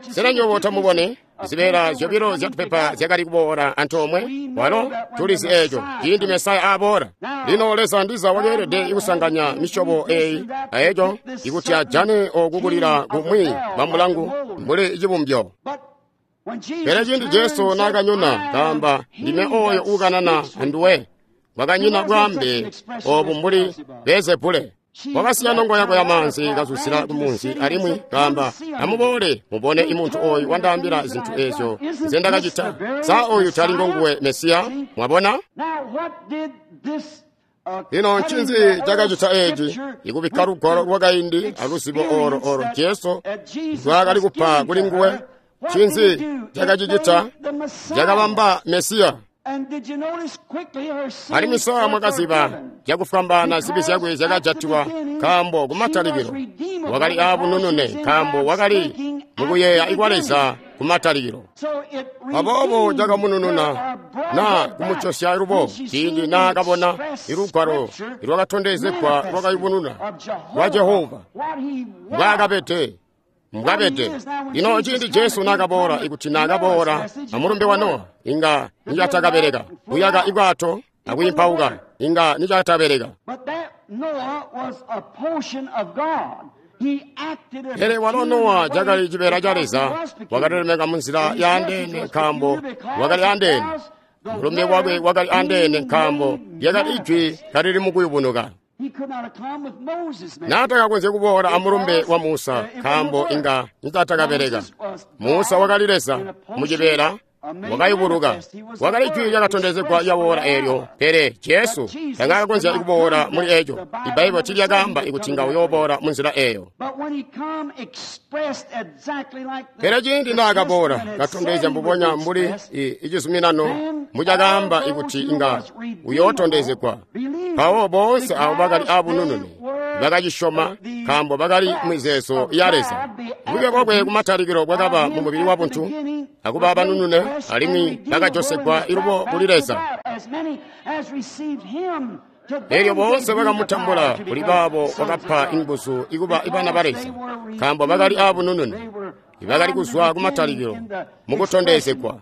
Sena nywebo tamubone? Zibeela zyobilo zyatupepa zyakali kuboola antoomwe. Walo tulizi eeco ciindi Mesaya aboola. Lino Leza ndiza wakeelede kusanganya misyobo eyi aeco ikuti ajane oku kulila kumwi bamulangu mbuli cibumbyo. Pele ciindi Jesu naakanyona kaamba, "Ndime ooyo uukanana anduwe," kwakanyina bwaambe obu mbuli Beelzebule. Wakasiya nongo yakwe yamaanzi kazuzila kumunzi alimwi kaamba, "Amuboole mubone imuntu ooyu wandaambila zintu eezyo nzendakacita. Sa ooyu tali ngonguwe Mesiya?" Mwabona? Lino ncinzi cakacita eeci? Ikubikka lugwalo lwakaindi aluzibo olo olo Jesu ndwaakali kupa kuli nguwe. Ncinzi cakacicita? Cakabamba Mesiya. Alimwi sa mwakaziba cakufwambaana zibi zyakwe zyakajatilwa, nkaambo kumatalikilo wakali aabununune, nkaambo wakali mukuyeeya ikwa Leza kumatalikilo. Aboobo cakamunununa na kumucosya lubo ciindi naakabona ilugwalo ilwakatondezegwa lwakayubununa lwa Jehova mbwaakabede mbwabede. Lino ciindi Jesu naakaboola, ikuti naakaboola amulumbe wa Nowa, inga nicatakabeleka. Kuyaka ibwato akwiimpauka inga nicatabeleka. Pele walo Nowa cakali cibeela ca Leza, wakalilemeka munzila yaandeene nkaambo wakali andeene. Mulumbe wakwe wakali andeene nkaambo lyakali ijwi kalili mukuyubunuka. Naatakakonzya kuboola amulumbe wa Musa nkaambo inga nicatakabeleka. Musa wakali Leza mucibeela wakayubuluka, wakali jwi lyakatondezegwa lyawoola eelyo. Pele Jesu tangakakonzya kuboola muli eco. Ibaibo tiilyakaamba ikuti nga uyooboola munzila eeyo. Pele ciindi naakaboola katondezya mbubonya mbuli icizuminano mucakaamba ikuti inga uyootondezegwa, mpawo boonse abo bakali abununune bakacisyoma nkaambo bakali mizeezo ya Leza. Bube bwakwe kumatalikilo bwakaba mu mubili wa buntu akuba banunune, alimwi bakajosegwa ilubo kuli Leza. Elyo boonse bakamutambula, kuli baabo wakapa inguzu ikuba ibana ba Leza, nkaambo bakali abununune, bakali kuzwa kumatalikilo mukutondezegwa.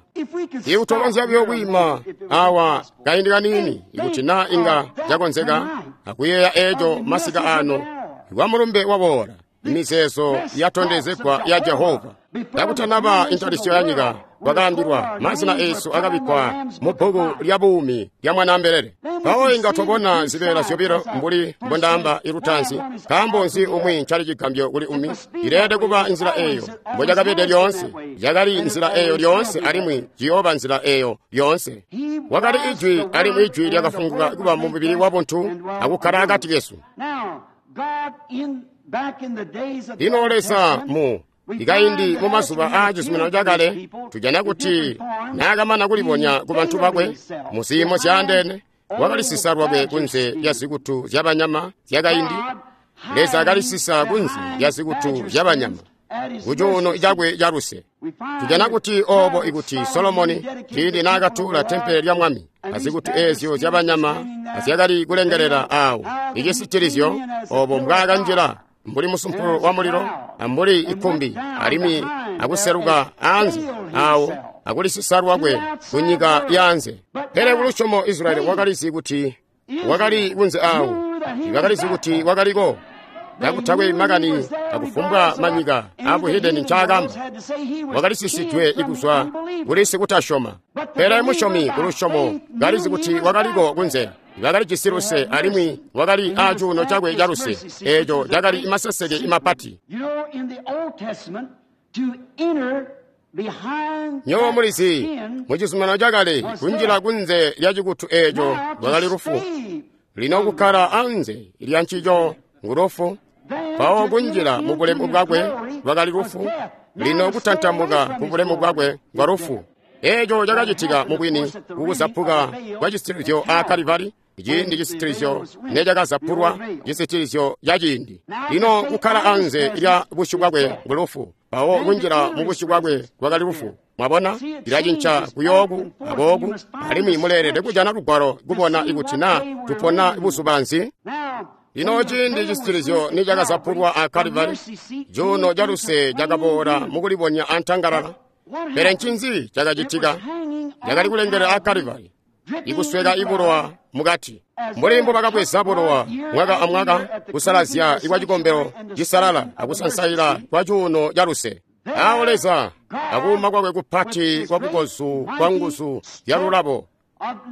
Ikutokonzya buyo kwiima awa kaindi kaniini, ikuti naa inga cakonzeka akuyeeya eeco masika ano wa mulumbe waboola, imizeezo yatondezegwa ya Jehova. Kakutanaba intalisyo ya nyika, kwakaambilwa mazina eesu akabikkwa mu bbuku lya buumi lya Mwanaambelele. Mpawo inga twabona zibeela zyobilo mbuli mbondaamba ilutaanzi. Nkaambo nzi umwi ncali cigambyo kuli umwi? Ileelede kuba nzila eeyo mbocakabede lyoonse. Yakali nzila eeyo lyoonse alimwi ciyooba nzila eeyo lyoonse. Wakali ijwi alimwi ijwi lyakafunguka kuba mu mubili wa buntu akukkala akati kesu. Lino Leza mu ikaindi mu mazuba aa cizuminano cakale, tujana kuti naakamana kulibonya ku bantu bakwe mu ziimo zyaandeene, wakalisisa lwakwe kunze lya zikutu zyabanyama zyakaindi. Leza akalisisa kunze lya zikutu zyabanyama kucuuno cakwe ca luse. Tujana kuti oobo ikuti Solomoni ciindi naakatuula tempele lya Mwami azikutu eezyo zyabanyama azyakali kulengelela aawo icisitilizyo, oobo mbwaakanjila mbuli musumpulu wa mulilo ambuli ikkumbi, alimwi akuseluka anze aawo akulisisa lwakwe kunyika yaanze. Pele kulusyomo Israyeli wakalizi kuti wakali kunze aawo, bakalizi kuti wakaliko. Kakutakwe makani akufumbwa manyika abuhedeni ncaakamba, wakalisisidwe ikuzwa kuli sikutasyoma. Pele musyomi kulusyomo kalizi kuti wakaliko kunze, bakalijisi luse alimwi wakali acuuno cakwe ca luse, eeco cakali maseseke imapati. Nywebo mulizi, mu cizuminano cakale kunjila kunze lya cikutu eeco lwakali lufu. Lino kukkala anze lya ncico ngulufu. Mpawo kunjila mu bulemu bwakwe lwakali lufu. Lino kutantamuka ku bulemu bwakwe ngwa lufu. Eeco cakacitika mubwini kukuzapuka kwa cisitilizyo a Kalivari, ciindi cisitilizyo necakazapulwa, cisitilizyo ca ciindi. Lino kukkala anze lya busyu bwakwe ngulufu, mpawo kunjila mu busyu bwakwe lwakali lufu. Mwabona, lilacinca kuyooku akooku, alimwi muleelede kujana lugwalo kubona ikuti naa tupona buzuba nzi. Lino ciindi cisitilizyo nicakazapulwa a Kalivari, cuuno ca luse cakaboola mukulibonya antangalala. Pele ncinzi cakacitika? Cakali kulengelela a Kalivari, ikusweka ibulowa mukati. Mbuli mbubakabweza bulowa mwaka amwaka kusalazya ikwa cikombelo cisalala akusansaila kwa cuuno ca luse. Awo Leza akuuma kwakwe kupati kwa bukozu kwa nguzu zyalulabo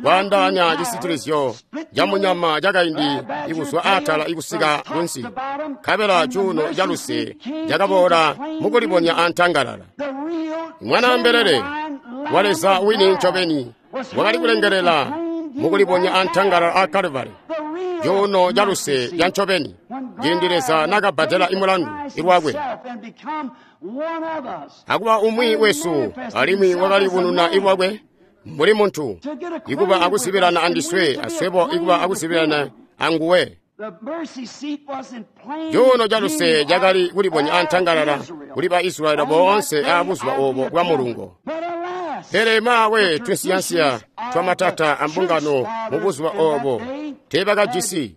kwaandaanya cisitilizyo ca munyama cakaindi ikuzwa atala ikusika kunsi, nkabela cuuno ca luse cakaboola mukulibonya antangalala. Mwanaambelele wa Leza wini ncobeni wakali kulengelela mukulibonya antangalala a Kalivari, cuuno ca luse ca ncobeni, ciindi Leza nakabbadela imulandu ilwakwe akuba umwi wesu, alimwi wakalibununa ilwakwe mbuli muntu, ikuba akuzibilana andiswe, aswebo ikuba akuzibilana anguwe. Cuuno caluse cakali kulibonya antangalala kuli ba Israyeli boonse aabuzuba oobo bwa mulungo. Pele maawe tunsiyansiya twamatata ambungano mubuzuba oobo teebakajisi.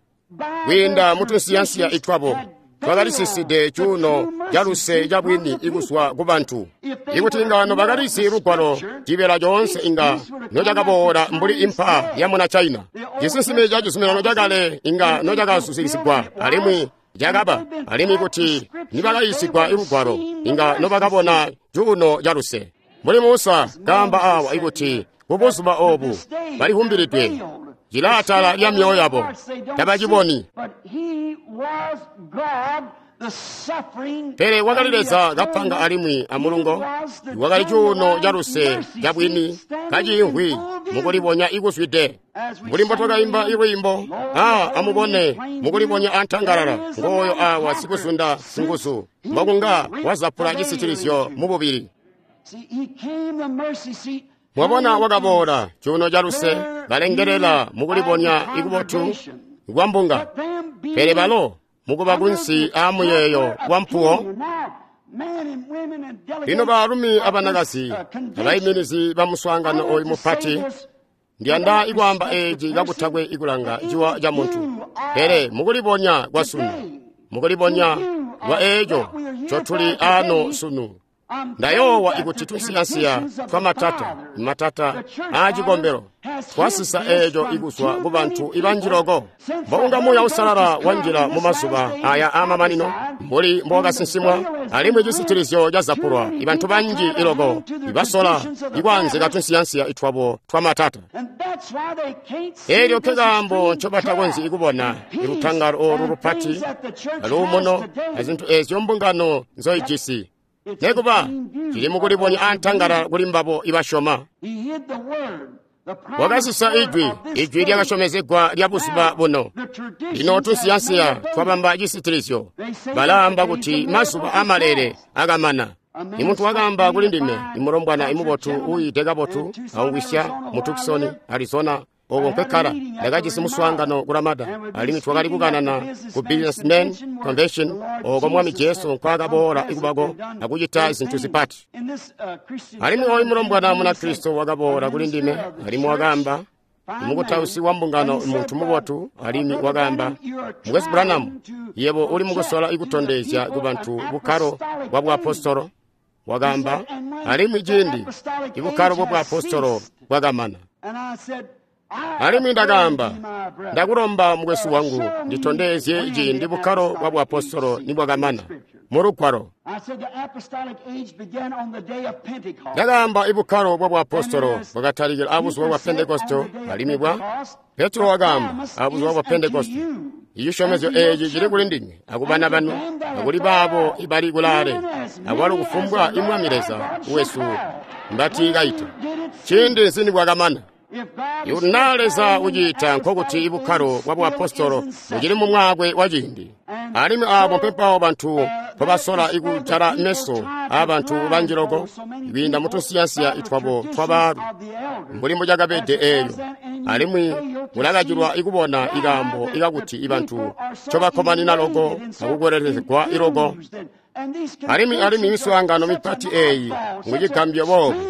Kwiinda mutunsiyansiya itwabo twakalisiside cuuno caluse cabwini ikuzwa kubantu. Ikuti inga nobakalizi lugwalo, cibeela coonse inga nocakaboola mbuli impa yamuna China. Cisinsime ca cizuminano cakale inga nocakazuzikizigwa alimwi cakaba, alimwi kuti nibakayiisigwa lugwalo inga nobakabona cuuno caluse. Mbuli Musa kaamba awa ikuti kubuzuba oobu balivumbilidwe cilaatala lya myoyo yabo tabaciboni. Pele wakali Leza kapanga alimwi amulungo, wakali cuuno caluse cabwini kaciimvwi mukulibonya ikuzwide. Mbuli mbotwakaimba ilwiimbo, amubone mukulibonya antangalala ngooyo awa sikuzunda singuzu mbokunga wazapula cisitilizyo mububili. Mwabona wakaboola cuuno caluse kalengelela mukulibonya ikubotu kwa mbunga, pele balo mukuba kunsi aamuyeeyo wampuwo. Lino baalumi abanakazi abaiminizi ba muswaangano oyu mupati, ndiyanda ikwaamba eeci kakutakwe ikulanga ciwa ca muntu, pele mukulibonya kwa sunu, mukulibonya kwa eeco ncotuli aano sunu. Ndayoowa ikuti tunsiyansiya twamatata matata aacikombelo twasisa eeco ikuzwa kubantu ibanji loko. Mbokunga Muuya Uusalala wanjila mumazuba aya aamamanino mbuli mbowakasinsimwa, alimwi cisitilizyo cazapulwa, ibantu banji iloko ibasola ikwaanzika tunsiyansiya itwabo twamatata. Eelyo nkekaambo ncobatakonzyi ikubona ilutangalo oolu lupati aluumuno azintu eezyo mbungano nzoijisi. Nekuba cili mukulibonya antangalala kuli mbabo ibasyoma. Wakasisa ijwi, ijwi lyakasyomezegwa lya buzuba buno. Lino tunsiyansiya twabamba cisitilizyo. Balaamba kuti mazuba amalele akamana. Imuntu wakaamba kuli ndime, imulombwana imubotu uyiide kabotu aungwisya mu Tucson, Arizona, oko nkekkala. Ndakajisi muswaangano ku Ramada, alimwi twakali kukanana ku Businessmen Convention oko Mwami Jesu nkwaakaboola ikubako akucita zintu zipati. Alimwi oyu mulombwana Munakristo wakaboola kuli ndime, alimwi wakaamba, imukutausi wa mbungano muntu mubotu, alimwi wakaamba, Mukwesu Branham, yebo uli mukusola ikutondezya kubantu bukkalo bwa buapostolo. Wakaamba, alimwi ciindi ibukkalo bwa buapostolo bwakamana. Alimwi ndakaamba, ndakulomba mukwesu wangu nditondezye ciindi bukkalo bwa buapostolo nibwakamana mulugwalo. Ndakaamba ibukkalo bwa buapostolo bwakatalikila abuzuba bwa Pentekosto, alimwi bwa Petro wakaamba abuzuba bwa Pentekosto, icisyomezyo eeci cili kuli ndinywe akubana banu akuli baabo ibali kulaale akwalo kufumbwa imwami Leza wesu mbati kaita. Ciindi nzi nibwakamana? Ikuti naa Leza uciita nkokuti ibukkalo bwa buapostolo bucili mu mwaakwe wa ciindi. Alimwi aabo mpempawo bantu mpobasola ikujala meso aabantu banji loko kwiinda mutunsiyansiya itwabo twabaalu mbuli mbucakabede eelyo, alimwi mulakacilwa ikubona ikaambo ikakuti ibantu ncobakkomanina loko akukwelelezegwa iloko. Alimwi miswaangano mipati eeyi ngucigambyo boobu,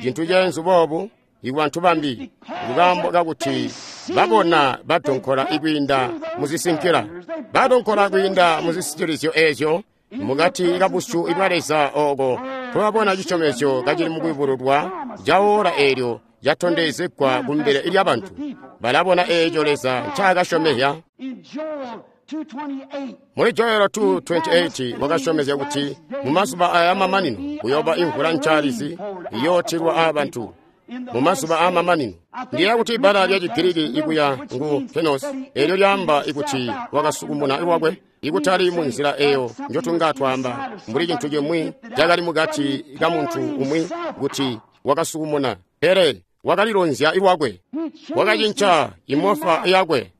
cintu ceenzu boobu ikubantu bambi, kukaambo kakuti babona badonkola ikwiinda muzisinkila, badonkola kwiinda muzisitilizyo eezyo mukati kabusyu bwa Leza oko twabona cisyomezyo kacili mukuyubululwa caola eelyo catondezegwa kumbele lyabantu. Balabona eeco Leza ncaakasyomezya. Muli Joelo 2:28 wakasyomezya kuti mumazuba aya mamanino kuyooba imvula ncaalizi iyootilwa aabantu. Mumazuba aamamanino ndiyeeya kuti ibbala lya Chigiriki ikuya ngu kenos, eelyo lyaamba ikuti wakasukumuna lwakwe, ikutali mu nzila eyo njotunga twaamba mbuli cintu cimwi cakali mukati ka muntu umwi kuti wakasukumuna, pele wakalilonzya lwakwe, wakacinca imofa yakwe,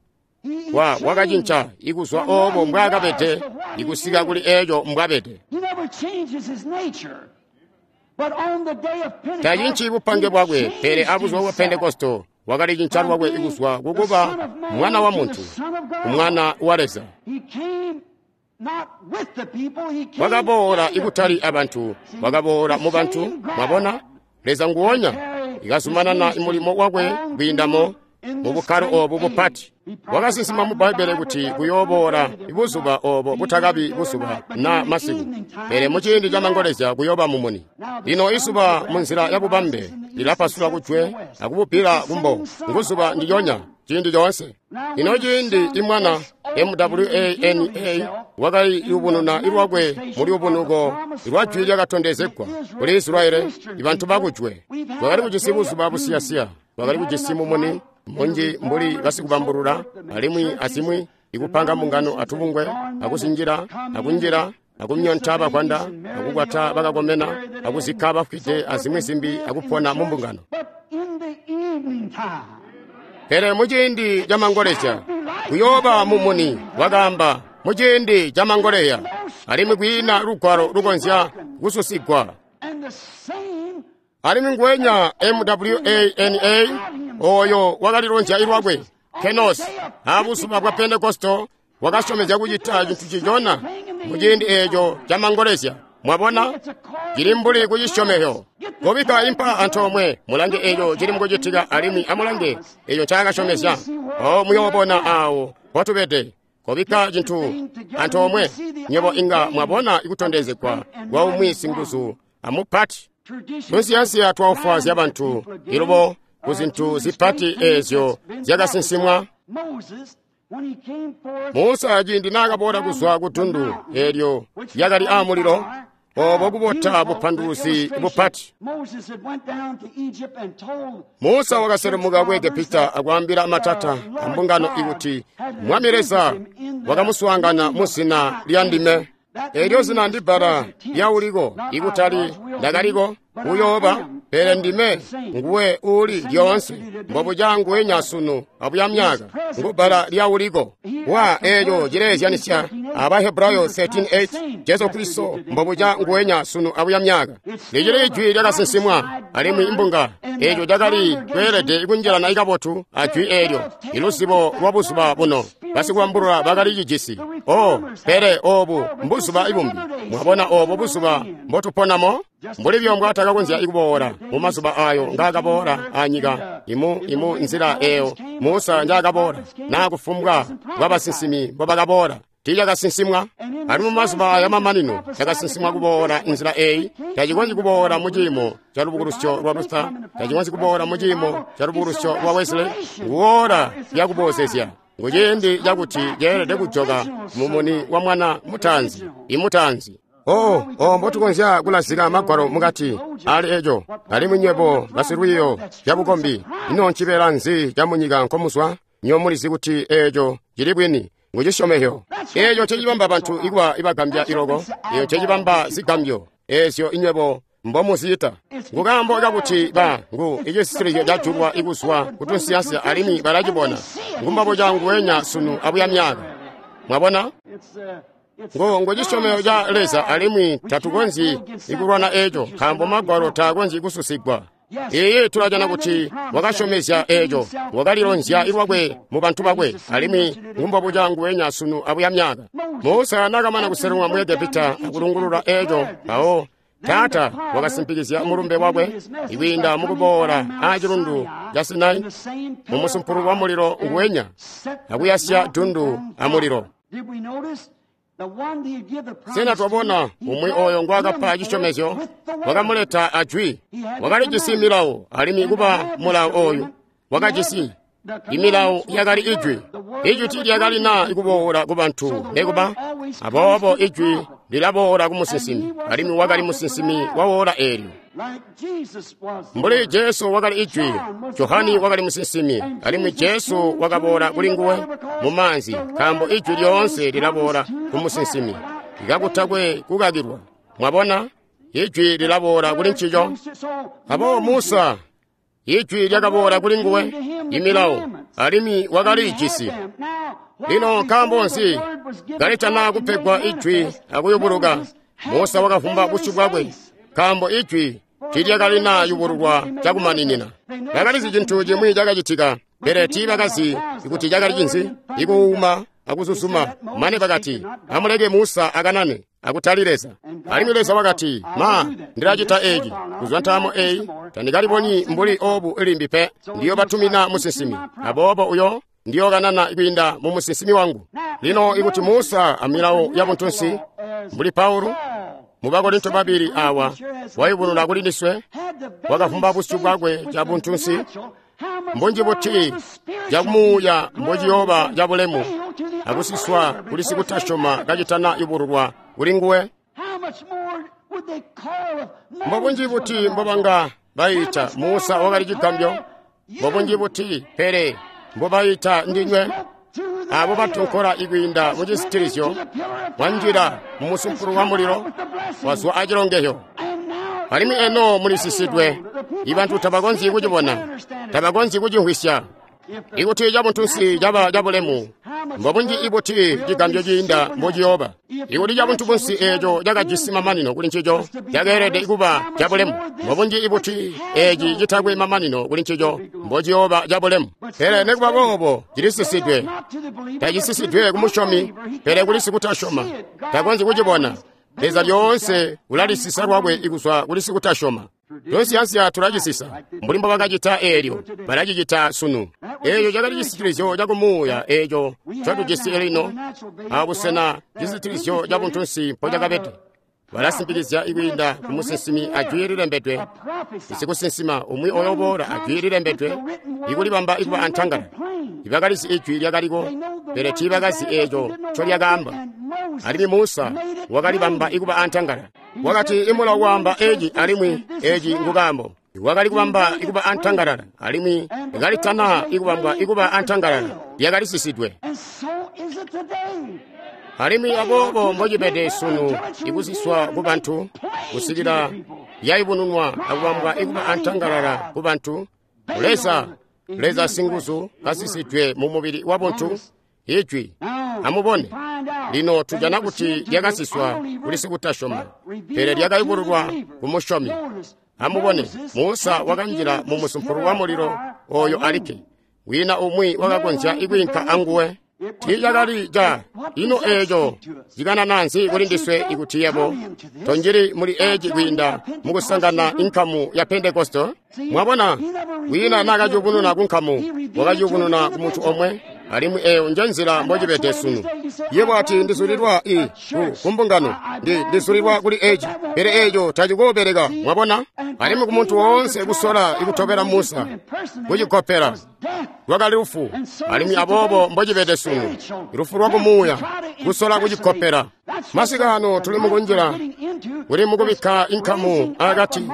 wakacinca ikuzwa oobo mbwaakabede ikusika kuli eeco mbwabede. Tacinci bupange bwakwe, pele abuzuba bwa Pentekosto Wakalicinca lwakwe kuzwa kukuba Mwana wa muntu, Mwana wa Leza. Wakaboola ikutali abantu, wakaboola mu bantu. Mwabona, Leza nguonya ikazumanana mulimo wakwe kwiindamo mu bukkalo obu bupati. Wakasinsima mu Bbaibbele kuti kuyooboola buzuba obo butakabi buzuba na masiku, pele muciindi ca mangolezya kuyooba mumuni. Lino izuba munzila ya bubambe lilapasula kujwe akububbila kumbo, nguzuba ndilyonya ciindi coonse. Lino ciindi imwana MWANA wakaliyubununa lwakwe mu luyubunuko lwa jwi lyakatondezegwa kuli Israyeli, ibantu bakujwe. Twakali kujisi buzuba busiyasiya, twakali kujisi mumuni munji mbuli basikubambulula alimwi azimwi, ikupanga mbungano atubungwe, akuzinjila, akunjila, akumyonta bakwanda, akukwata bakakomena, akuzikka bafwide azimwi zimbi, akupona mu mbungano. Pele muciindi ca mangolezya kuyooba mumuni, wakaamba, muciindi ca mangolezya, alimwi kwiina lugwalo lukonzya kususigwa. Alimwi nguwenya MWANA oyo wakalilonzya lwakwe Kenos abuzuba bwa Pentekosto wakasyomezya kucita cintu cicona muciindi eeco ca mangolezya. Mwabona, cili mbuli kucisyomezyo. Kobikka impa antoomwe, mulange eeco cili mukucitika, alimwi amulange eeco ncaakasyomezya. O muyoobona aawo mpotubede. Kobikka cintu antoomwe, nywebo inga mwabona kutondezegwa kwa umwi singuzu amupati. Tunsiyansiya twaufwaazya bantu ilubo ku zintu zipati eezyo zyakasinsimwa. Musa ciindi naakaboola kuzwa ku dundu eelyo lyakali aamulilo, obo kubota bupanduluzi bupati. Musa wakaselemuka ku Egepita akwaambila matata ambungano ikuti Mwami Leza wakamuswaangana mu zina lya ndime. Eelyo zina ndi bbala lyauliko, ikutali ndakaliko, uyooba, pele ndime nguwe uuli lyoonse, mbobuca nguwenya sunu abuya myaka, ngu bbala lyauliko. Wa eeco cileezyanisya aba Hebrayo 13:8, Jesu Kristo mbobuca nguwenya sunu abuya myaka. Licili ijwi lyakasinsimwa, alimwi imbunga eeco cakali kweelede kunjilana kabotu ajwi eelyo, iluzibo lwa buzuba buno. Basikubambulula bakali cijisi. Oh, pele obu mbuzuba ibumbi. Mwabona obo buzuba mbotuponamo? Mbuli byo mbwatakakonzya kuboola mu mazuba ayo ngaakaboola anyika, imu nzila eyo Musa njaakaboola, naa kufumbwa bwa basinsimi mbobakaboola. Tiicakasinsimwa. Alimwi mu mazuba aya mamanino cakasinsimwa kuboola nzila eyi. Tacikonzyi kuboola mu ciimo ca lubukulusyo lwa Luther, tacikonzyi kuboola mu ciimo ca lubukulusyo lwa Wesley. Nguwoola lyakuboozezya. Nguciindi cakuti ceelede kujoka mumuni wa mwana mutaanzi, imutaanzi. Oh, oh, mbotukonzya kulazika magwalo mukati ali eco. Alimwi nywebo basilwiiyo lyabukombi, ino ncibeela nzi camunyika nkomuzwa? Nywebo mulizi kuti eeco cili bwini, ngucisyomezyo. Eeco ncecibamba bantu ikuba ibagambya iloko, eeco ncecibamba zigambyo eezyo inywebo mbomuziita. Ngukaambo kakuti ba ngu icisitilizyo cajulwa ikuzwa kutunsiyansiya alimwi balacibona. Ngumbabuca nguwenya sunu abuya myaka. Mwabona? Ngo cisyomezyo ca Leza, alimwi tatukonzyi ikulwana eeco, nkaambo magwalo taakonzyi kususigwa. Iiyi, tulajana kuti wakasyomezya eeco, wakalilonzya lwakwe mu bantu bakwe, alimwi ngumbobuca nguwenya sunu abuya myaka. Musa naakamana kuselulwa mu Egepita akulungulula eeco, mpawo Taata wakasimpikizya mulumbe wakwe ikwiinda mukuboola aacilundu ca Sinai mu musumpulu wa mulilo nguwenya akuyasya dundu amulilo. Sena twabona umwi oyo ngwaakapa cisyomezyo wakamuleta ajwi? Wakalijisi milawo, alimwi kuba mulawo oyu wakajisi imilawo yakali ijwi. Ijwi tiilyakali na ikuboola ku bantu nekuba, aboobo ijwi lilaboola ku musinsimi, alimwi wakali musinsimi wa woola eelyo. Mbuli Jesu wakali ijwi, Johani wakali musinsimi, alimwi Jesu wakaboola kuli nguwe mu maanzi, nkaambo ijwi lyoonse lilaboola ku musinsimi, kakutakwe kukakilwa. Mwabona, ijwi lilaboola kuli ncico. Aboobo Musa, ijwi lyakaboola kuli nguwe, imilawo, alimwi wakalijisi. Lino nkaambo nzi kalitana kupegwa ijwi akuyubuluka? Musa wakavumba busyu bwakwe, nkaambo ijwi Tiilyakalina yubululwa cakumaninina. Bakalizi cintu cimwi cakacitika, pele tiibakazi kuti cakali cinzi. Ikuuma akuzuzuma, mane bakati, amuleke Musa akanane, akutali Leza. Alimwi Leza wakati, ma, ndilacita eeci. Kuzwa ntaamo eyi, tandikalibonyi mbuli obu limbi pe. Ndiyobatumina musinsimi. Aboobo uyo ndiyokanana kwiinda mu musinsimi wangu. Lino ikuti Musa amilawo ya buntunsi, mbuli Paulo, mu Bakorinto 2 awa, wayubununa kuli ndiswe, wakavumba busyu bwakwe ca buntunsi, mbunji buti cakumuuya mbociyooba cabulemu akusiswa kuli sikutasyoma kacitana yubululwa kuli nguwe. Mbobunji buti mbobanga bayita Musa wakali cigambyo, mbobunji buti pele mbobayita ndinywe abo batonkola ikwiinda mu cisitilizyo, mwanjila mu musumpulu wa mulilo, wazwa acilongeyo. Alimwi eno mulisisidwe, ibantu tabakonzyi kucibona, tabakonzyi kucimvwisya. Ikuti cabuntunsi caba cabulemu, mbobunji ibuti cigambyo ciinda mbociyooba. Ikuti cabuntunsi eeco cakajisi mamanino kuli ncico, cakeelede kuba cabulemu. Mbobunji ibuti eeci citakwe mamanino kuli ncico, mbociyooba cabulemu. Pele nikuba boobo cilisisidwe. Tacisisidwe kumusyomi, pele kuli sikutasyoma. Takonzyi kucibona. Leza lyoonse ulalisisa lwakwe ikuzwa kuli sikutasyoma. Tonsiyansiya tulacisisa, mbuli mbobakacita eelyo, balacicita sunu. Eeco cakali cisitilizyo cakumuuya eeco ncotujisi lino, abusena cisitilizyo cabuntunsi mpocakabede. Balasimpikizya ikwiinda kumusinsimi ajwi lilembedwe, isikusinsima umwi oyoboola ajwi lilembedwe, ikulibamba ikuba antangala. Ibakalizi ijwi lyakaliko, pele tiibakazi eeco ncolyakaamba. Alimwi Musa wakalibamba ikuba antangala. Wakati imulawo waamba eeci alimwi eeci ngukaambo. Wakali kubamba ikuba antangalala, alimwi kalitana ikubambwa ikuba antangalala, lyakalisisidwe. Alimwi aboobo mbocibede sunu ikusiswa kubantu kusikila lyayubununwa akubambwa ikuba antangalala kubantu. Leza, Leza singuzu kasisidwe mu mubili wabuntu, ijwi. Amubone, lino tujana kuti lyakasiswa kuli sikutasyoma, pele lyakayubululwa kumusyomi. Amubone, Musa wakanjila mu musumpulu wa mulilo oyo alikke. Wina umwi wakakonzya ikwiinka anguwe. Tiicakali ca ino eeco cikanana nzi kuli ndiswe ikuti yebo tonjili muli eeci kwiinda mukusangana inkamu ya Pentekoste? Mwabona, wina naakaciyubununa kunkamu, wakaciyubununa kumuntu omwe, alimwi eeyo nje nzila mbocibede sunu. Yebo ati ndizulilwa ku mbungano, ndizulilwa kuli eeci, pele eeco tacikoobeleka, mwabona? Alimwi kumuntu woonse kusola ikutobela Musa, kucikopela, lwakali lufu, alimwi aboobo mbocibede sunu, lufu lwakumuuya, kusola kucikopela. Masika ano tuli mukunjila, kuli mukubikka inkamu akati,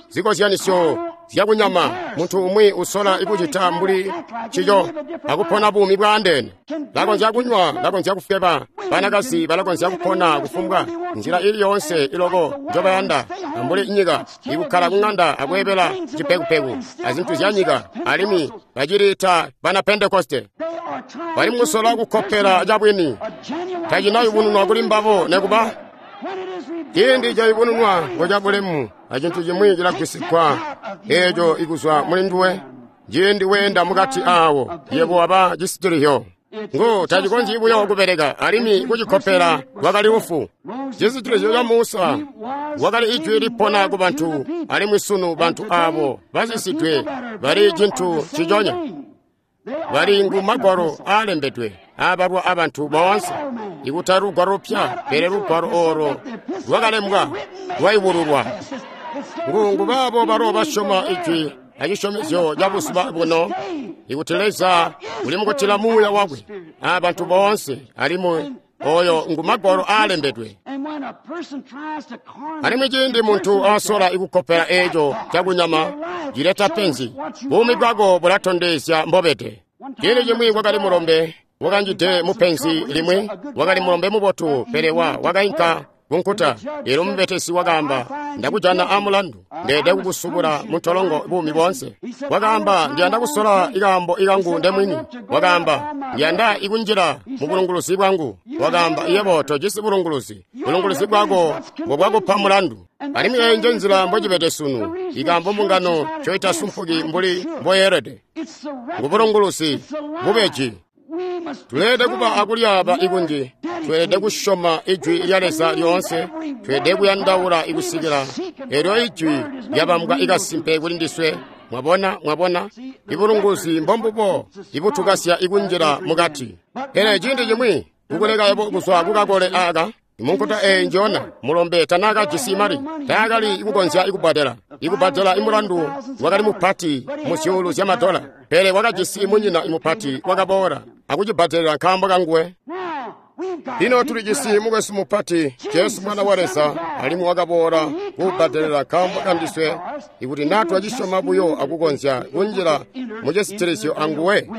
zikozyanisyo zyakunyama, muntu umwi usola ikucita mbuli cico akupona buumi bwaandeene. Lakonzya kunywa, lakonzya kufweba, banakazi balakonzya kupona kufumbwa nzila ili yoonse iloko njobayanda, mbuli nyika, ikukkala kung'anda akweebela cipekupeku azintu zya nyika, alimwi baciliita bana Pentekoste. Bali mukusola kukkopela cabwini, tacinayubununwa kuli mbabo nekuba. Ciindi cayubununwa ngo cabulemu, acintu cimwi cilagwisigwa eeco ikuzwa muli nduwe. Ciindi weenda mukati aawo, yebo waba cisitilizyo. Ngo tacikonzyi buyo kubeleka, alimwi kucikkopela lwakali lufu. Cisitilizyo ca Musa wakali ijwi lipona ku bantu, alimwi sunu bantu aabo basisidwe bali cintu ciconya. Bali ngu magwalo aalembedwe aabalwa abantu boonse, ikutali lugwalo lupya, pele lugwalo oolo lwakalembwa lwayubululwa. Ngu baabo balo basyoma ijwi acisyomezyo ca buzuba buno, ikuti Leza uli mukutila muuya wakwe aabantu boonse, alimwi oyo ngu magwalo aalembedwe. Alimwi ciindi muntu asola ikukkopela eeco cakunyama, cileta penzi. Buumi bwako bulatondezya mbobede. Ciindi cimwi kwakali mulombe wakanjide mupenzi limwi, wakali mulombe mubotu, pele wakainka Kunkuta eelyo mubetesi wakaamba, ndakujana amulandu, ndeede kukusubula muntolongo buumi boonse. Wakaamba, ndiyanda kusola ikaambo ikangu ndemwini. Wakaamba, ndiyanda ikunjila mu bulunguluzi bwangu. Wakaamba, yebo tojisi bulunguluzi, bulunguluzi bwako mbobwakupa mulandu. Alimwi eyi nje nzila mbocibede sunu, ikaambo mbungano ncoitasumpuki mbuli mboyeelede. Ngubulunguluzi bubeji. Tuleelede kuba akulyaaba ikunji, tweelede kusyoma Ijwi lya Leza lyoonse, tweelede kuyandaula ikusikila eelyo Ijwi lyabambwa ikasimpe kuli ndiswe. Mwabona, mwabona, ibulunguzi mbombubo ibutukasya ikunjila mukati. Pele ciindi cimwi kukuleka yebo kuzwa kukakole aaka, munkuta eyi njona mulombe tanaakajisi mali, taakali ikukonzya ikubbadela. Ikubbadela imulandu wakali mupati mu zyuulu zyamadola, pele wakajisi munyina imupati wakaboola akucibbadelela nkaambo kanguwe. Lino tulijisi mukwesu mupati Jesu mwana wa Leza, alimwi wakaboola kubbadelela nkaambo kandiswe. Ikuti naa twacisyoma buyo akukonzya kunjila mucisitilizyo anguwe,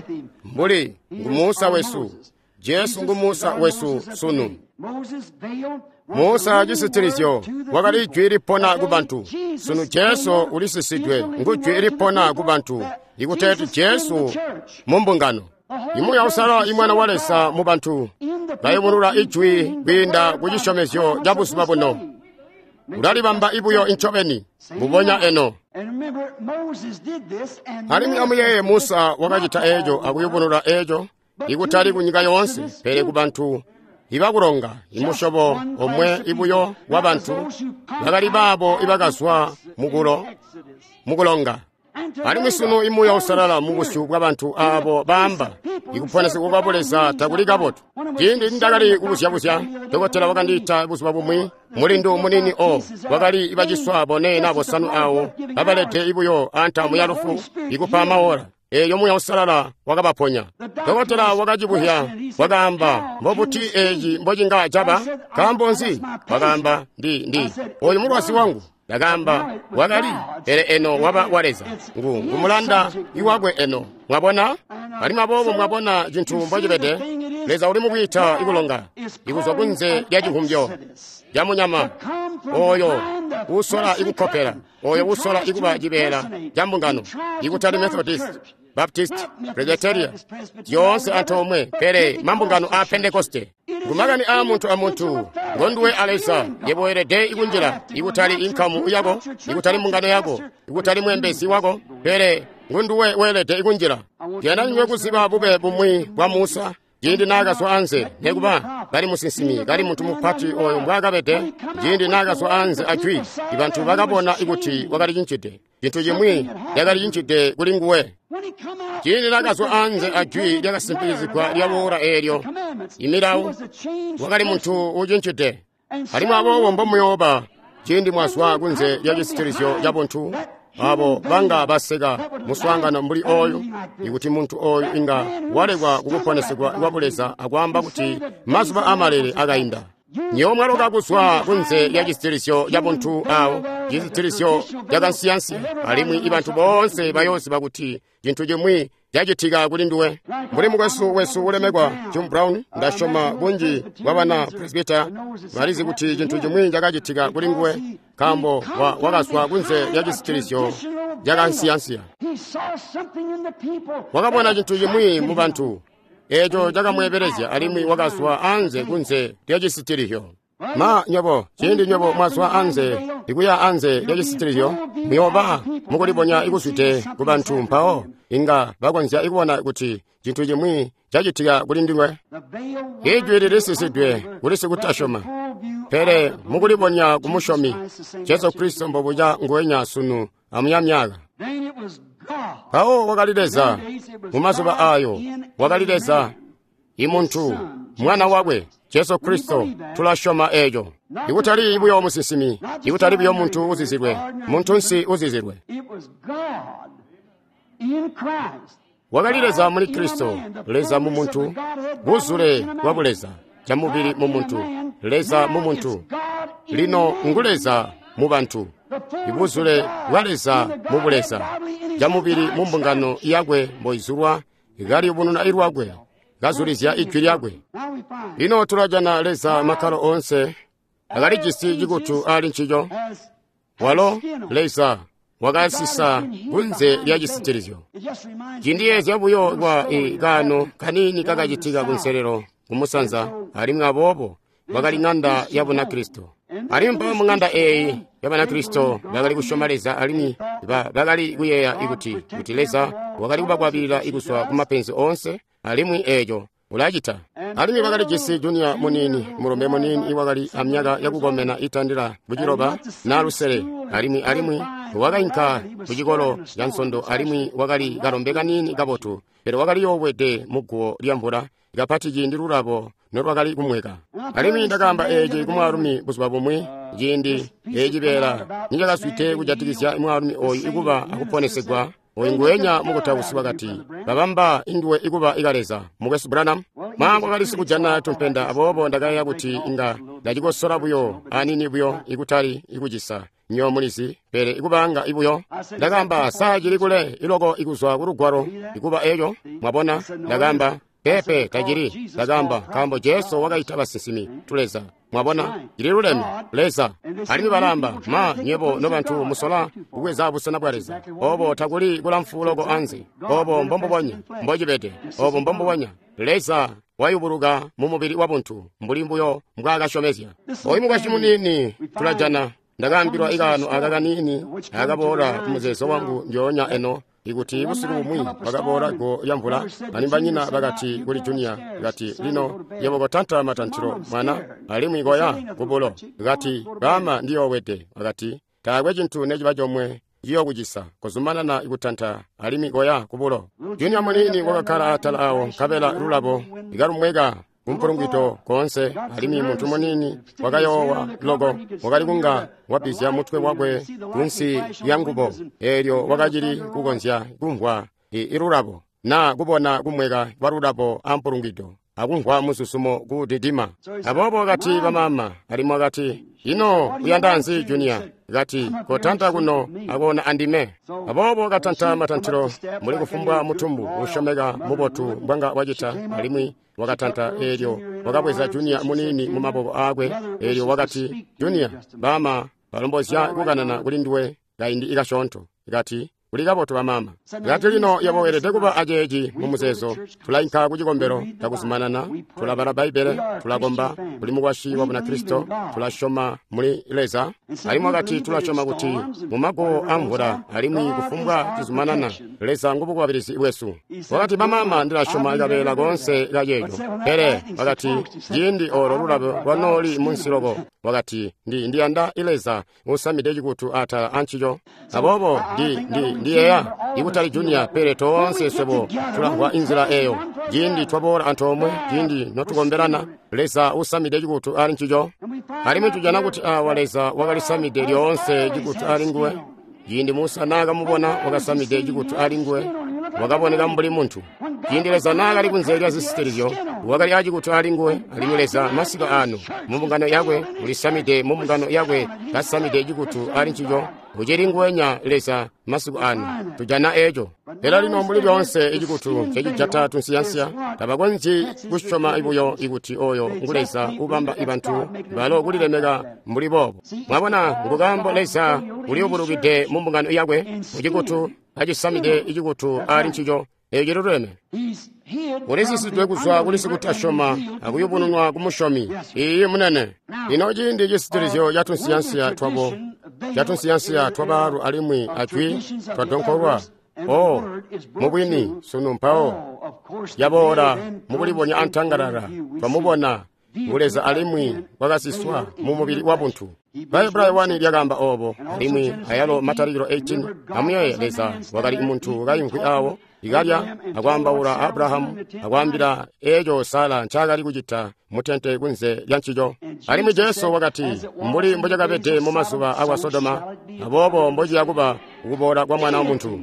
mbuli ngu Musa wesu. Jesu ngu Musa wesu sunu. Musa cisitilizyo wakali ijwi lipona ku bantu. Sunu Jesu ulisisidwe, ngu jwi lipona ku bantu. Ikuteeti Jesu mu mbungano. Imuuya Uusalala imwana wa Leza mu bantu bayubulula ijwi kwiinda ku cisyomezyo ca buzuba buno. Ulalibamba ibuyo incobeni mbubonya eno. Alimwi amuyeeye Musa wakacita eeco akuyubunula eeco, ikutali ku nyika yoonse, pele ku bantu ibakulonga, imusyobo omwe ibuyo wa bantu bakali baabo ibakazwa mukulonga. Alimwi sunu imuuya Uusalala mu busyu bwa bantu aabo baamba ikuponesegwa kwa Buleza takuli kabotu. Ciindi nindakali kubuzyabuzya, dokotela wakandiita buzuba bumwi, mulindu munini o wakali ibaciswa bone na bosanu awo babalede ibuyo antamu ya lufu ikupa maola. Eeyo Muuya Uusalala wakabaponya. Dokotela wakacibuhya, wakaamba, mbobuti eeci mbocinga caba? Nkaambo nzi? Wakaamba, ndi oyu mulwazi wangu. Ndakaamba, wakali, pele eno waba wa Leza. Ngu ngumulanda iwakwe eno. Mwabona? Alimwi aboobo mwabona cintu mbocibede. Leza uli mukwiita ikulonga, ikuzwa kunze lya civumbyo ca munyama oyo usola ikukkopela, oyo usola ikuba cibeela ca mbungano, ikutali Methodist, Baptist, Presbyteria, zyoonse antoomwe, pele mambungano a Pentekoste. Ngumakani aa muntu amuntu, ngonduwe a Leza, yebo weelede ikunjila, ikutali inkamu yako, ikutali mbungano yako, ikutali mweembezi wako, pele ngonduwe weelede ikunjila. Ndiyanda nywe kuziba bube bumwi bwa Musa, ciindi naakazwa anze, nekuba kali musinsimi, kali muntu mupati oyo mbwaakabede, ciindi naakazwa anze ajwi, ibantu bakabona ikuti wakali cincide. Cintu cimwi cakali cincide kuli nguwe. Ciindi naakazwa anze ajwi lyakasimpikizigwa lya oora eelyo, imilawo, wakali muntu ucincide. Alimwi aboobo mbomuyooba ciindi mwazwa kunze lya cisitilizyo ca buntu, abo banga baseka muswaangano mbuli oyu, ikuti muntu oyu inga walekwa kukuponesegwa kwa Buleza akwaamba kuti mazuba amalele akainda. Nyewe mwaloka kuzwa kunze lya cisitilizyo ca buntu awo, cisitilizyo cakansiyansiya, alimwi ibantu boonse bayooziba kuti cintu cimwi cacitika kuli nduwe. Mbuli mukwesu wesu ulemekwa Jim Brown, ndasyoma bunji bwa bana Presbyter balizi kuti cintu cimwi cakacitika kuli nguwe, nkaambo wakazwa kunze lya cisitilizyo cakansiyansiya. Wakabona cintu cimwi mu bantu eeco cakamweebelezya, alimwi wakazwa anze kunze lya cisitilizyo. Ma nywebo, ciindi nywebo mwazwa anze, ikuya anze lya cisitilizyo, muyooba mukulibonya ikuzwide ku bantu, mpawo inga bakonzya ikubona kuti cintu cimwi cacitika kuli ndinywe. Ijwi lilisisidwe kuli sikutasyoma, pele mukulibonya ku musyomi, Jesu Kristo mbobuca nguwenya sunu amuyamyaka. Mpawo wakali Leza mumazuba ayo, wakali Leza imuntu, mwana wakwe Jesu Kristo. Tulasyoma eeco. Ikutali buyo musinsimi, ikutali buyo muntu uzizilwe, muntunsi uzizilwe. Wakali Leza muli Kristo, Leza mu muntu, buzule bwa buleza camubili mu muntu, Leza mu muntu. Lino ngu Leza mu bantu, ibuzule bwa Leza mu buleza camubili mu mbungano yakwe mboizulwa, kaliyubununa ilwakwe, kazulizya ijwi lyakwe. Lino tulajana Leza makkalo oonse. Akali jisi cikutu ali ncico. Walo Leza wakasisa kunze lya cisitilizyo. Cindiyeezya buyo kwa kaano kaniini kakacitika kunselelo kumusanza, alimwi aboobo bakali ng'anda ya Bunakristo. Alimwi mpawo mu ng'anda eeyi ya Banakristo bakali kusyoma Leza alimwi bakali kuyeeya kuti Leza wakali kubakwabilila kuzwa ku mapenzi oonse, alimwi eeco ulacita. Alimwi bakali jisi junior muniini, mulombe muniini iwakali amyaka yakukomena itandila ku 9 na 6, alimwi wakainka ku cikolo ca nsondo, alimwi wakali kalombe kaniini kabotu, pele wakali yoowede muguwo lya mvula kapati ciindi lulabo nolwakali kumweka. Alimwi ndakaamba eeci ku mwaalumi buzuba bumwi, ciindi eeci beela nicakazwide kujatikizya mwaalumi ooyu ikuba akuponesegwa. Oyu nguwenya mukutausi wakati, babamba induwe ikuba ikaleza, Mukwesu Branham. Mwaangu wakali sikujana tumpenda, aboobo ndakayeeya kuti inga ndacikosola buyo anini buyo ikutali ikucisa nyo mulizi, pele ikubanga ibuyo. Ndakaamba, saa cili kule iloko ikuzwa ku lugwalo ikuba eco, mwabona. Ndakaamba, pepe tacili. Ndakaamba, nkaambo Jesu wakaita basinsimi tuleza. Mwabona, cili luleme, Leza. Alimwi balamba, ma nyebo nobantu musola kubweza busena bwa Leza. Obo takuli kulamfu loko anze. Obo mbombubonya mbocibede. Obo mbombubonya Leza wayubuluka mu mubili wa buntu mbuli mbuyo mbwaakasyomezya. Oyu mukwasyi muniini tulajana. Ndakaambilwa ikaano aka kaniini akaboola ku muzeezo wangu ndyoonya eno, ikuti busiku bumwi bakaboola guwo lya mvula, alimwi banyina bakati kuli Junior, kati, lino yebo kotanta matantilo mwana, alimwi koya kubulo. Kati, baama ndiyoowede. Akati, taakwe cintu neciba comwe ciyokucisa, kozumanana kutanta alimwi koya kubulo. Junior muniini wakakkala atala awo, nkabela lulabo ikalumweka kumpulungwito koonse, alimwi muntu muniini wakayoowa loko, wakali kunga wabizya mutwe wakwe kunsi lya ngubo, eelyo wakacili kukonzya kumvwa ilulabo na kubona kumweka kwa lulabo ampulungwito akumvwa muzuzumo kudidima. Aboobo wakati bamama, alimwi wakati, ino uyanda nzi Junior? Kati, kotanta kuno akoona andime. Aboobo katanta matantilo muli kufumbwa mutumbu usyomeka mubotu mbwanga wacita, alimwi wakatanta eelyo wakabweza Junior muniini mu maboko aakwe, eelyo wakati, Junior, bama balombozya kukanana kuli nduwe kaindi ikasyoonto. Kati, kuli kabotu bamama. Kati lino yebo weelede kuba aceeci mu muzeezo. Tulainka ku cikombelo cakuzumanana, tulabala Bbaibbele, tulakomba, kuli mukwasyi wa Bunakristo, tulasyoma muli Leza. Alimwi wakati tulasyoma kuti mu maguwo amvula alimwi kufumbwa cizumanana, Leza ngubukwabilizi bwesu. Wakati bamama ndilasyoma kabeela koonse kaceeco. Pele wakati ciindi oolo lulabo lwanooli munsi loko, wakati ndiyanda Leza usamide cikutu atala ancico. Aboobo ndiyeeya ikutali Junior, pele toonse swebo tulamvwa inzila eyo. Ciindi twaboola antoomwe, ciindi notukombelana, Leza usamide cikutu ali ncico. Alimwi tujana kuti awa Leza wakalisamide lyoonse cikutu ali nguwe. Ciindi Musa naakamubona wakasamide cikutu ali nguwe, wakaboneka mbuli muntu. Ciindi Leza naakali kunze lya zisitilizyo, wakali acikutu ali nguwe. Alimwi Leza masiku ano mu mbungano yakwe ulisamide mu mbungano yakwe kasamide cikutu ali ncico. Ucili nguwenya Leza masiku ano, tujana eco. Pele lino mbuli lyoonse icikutu cecijata tunsiyansiya, tabakonzyi kusyoma buyo ikuti oyo ngu Leza ubamba ibantu balo kulilemeka mbuli boobo. Mwabona, ngukaambo Leza uliyubulukide mu mbungano yakwe mucikutu acisamide icikutu ali ncico. Eco ciluleme. Ulisisidwe kuzwa kuli sikutasyoma akuyubununwa ku musyomi. Iiyi munene. Lino ciindi cisitilizyo catunsiyansiya twabo, catunsiyansiya twabaalu alimwi ajwi twadonkolwa. O, mubwini sunu mpawo yaboola mukulibonya antangalala, twamubona ngu Leza alimwi wakasiswa mu mubili wa buntu. Bahebrayo 1 lyakaamba oobo, alimwi ayalo Matalikilo 18. Amuyeeye, Leza wakali muntu kaimvwi awo ikalya akwaambaula Abrahamu akwaambila eeco Sara ncaakali kucita mutente kunze lya ncico. Alimwi Jesu wakati, mbuli mbocakabede mumazuba akwa Sodoma, aboobo mbociya kuba kuboola kwa Mwana wa Muntu.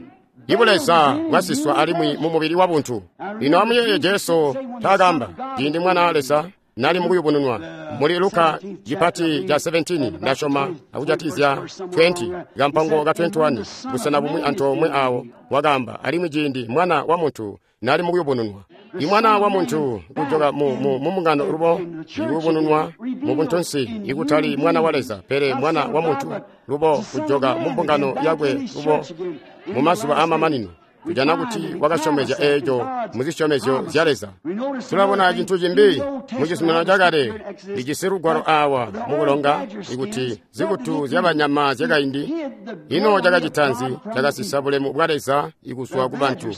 Ibu Leza bwasiswa alimwi mu mubili wa buntu. Lino amuyeeye Jesu taakamba ciindi Mwana wa Leza nali mukuyubununwa muli Luka cipati ca 17 ndasyoma akujatizya 20 kampango ka 21 busena bumwi antoomwe awo wakaamba, alimwi ciindi Mwana wa Muntu nali mukuyubununwa. I Mwana wa muntu kujoka mu mbungano lubo, ikuyubununwa mu buntunsi, ikutali Mwana wa Leza, pele Mwana wa muntu lubo kujoka mu mbungano yakwe lubo mu mazuba aamamanino. Tujana kuti wakasyomezya eeco mu zisyomezyo zya Leza. Tulabona cintu cimbi mu Cizuminano Cakale lijisi lugwalo aawa mukulonga ikuti zikutu zyabanyama zyakaindi. Ino cakacita nzi? Cakasisa bulemu bwa Leza ikuzwa ku bantu.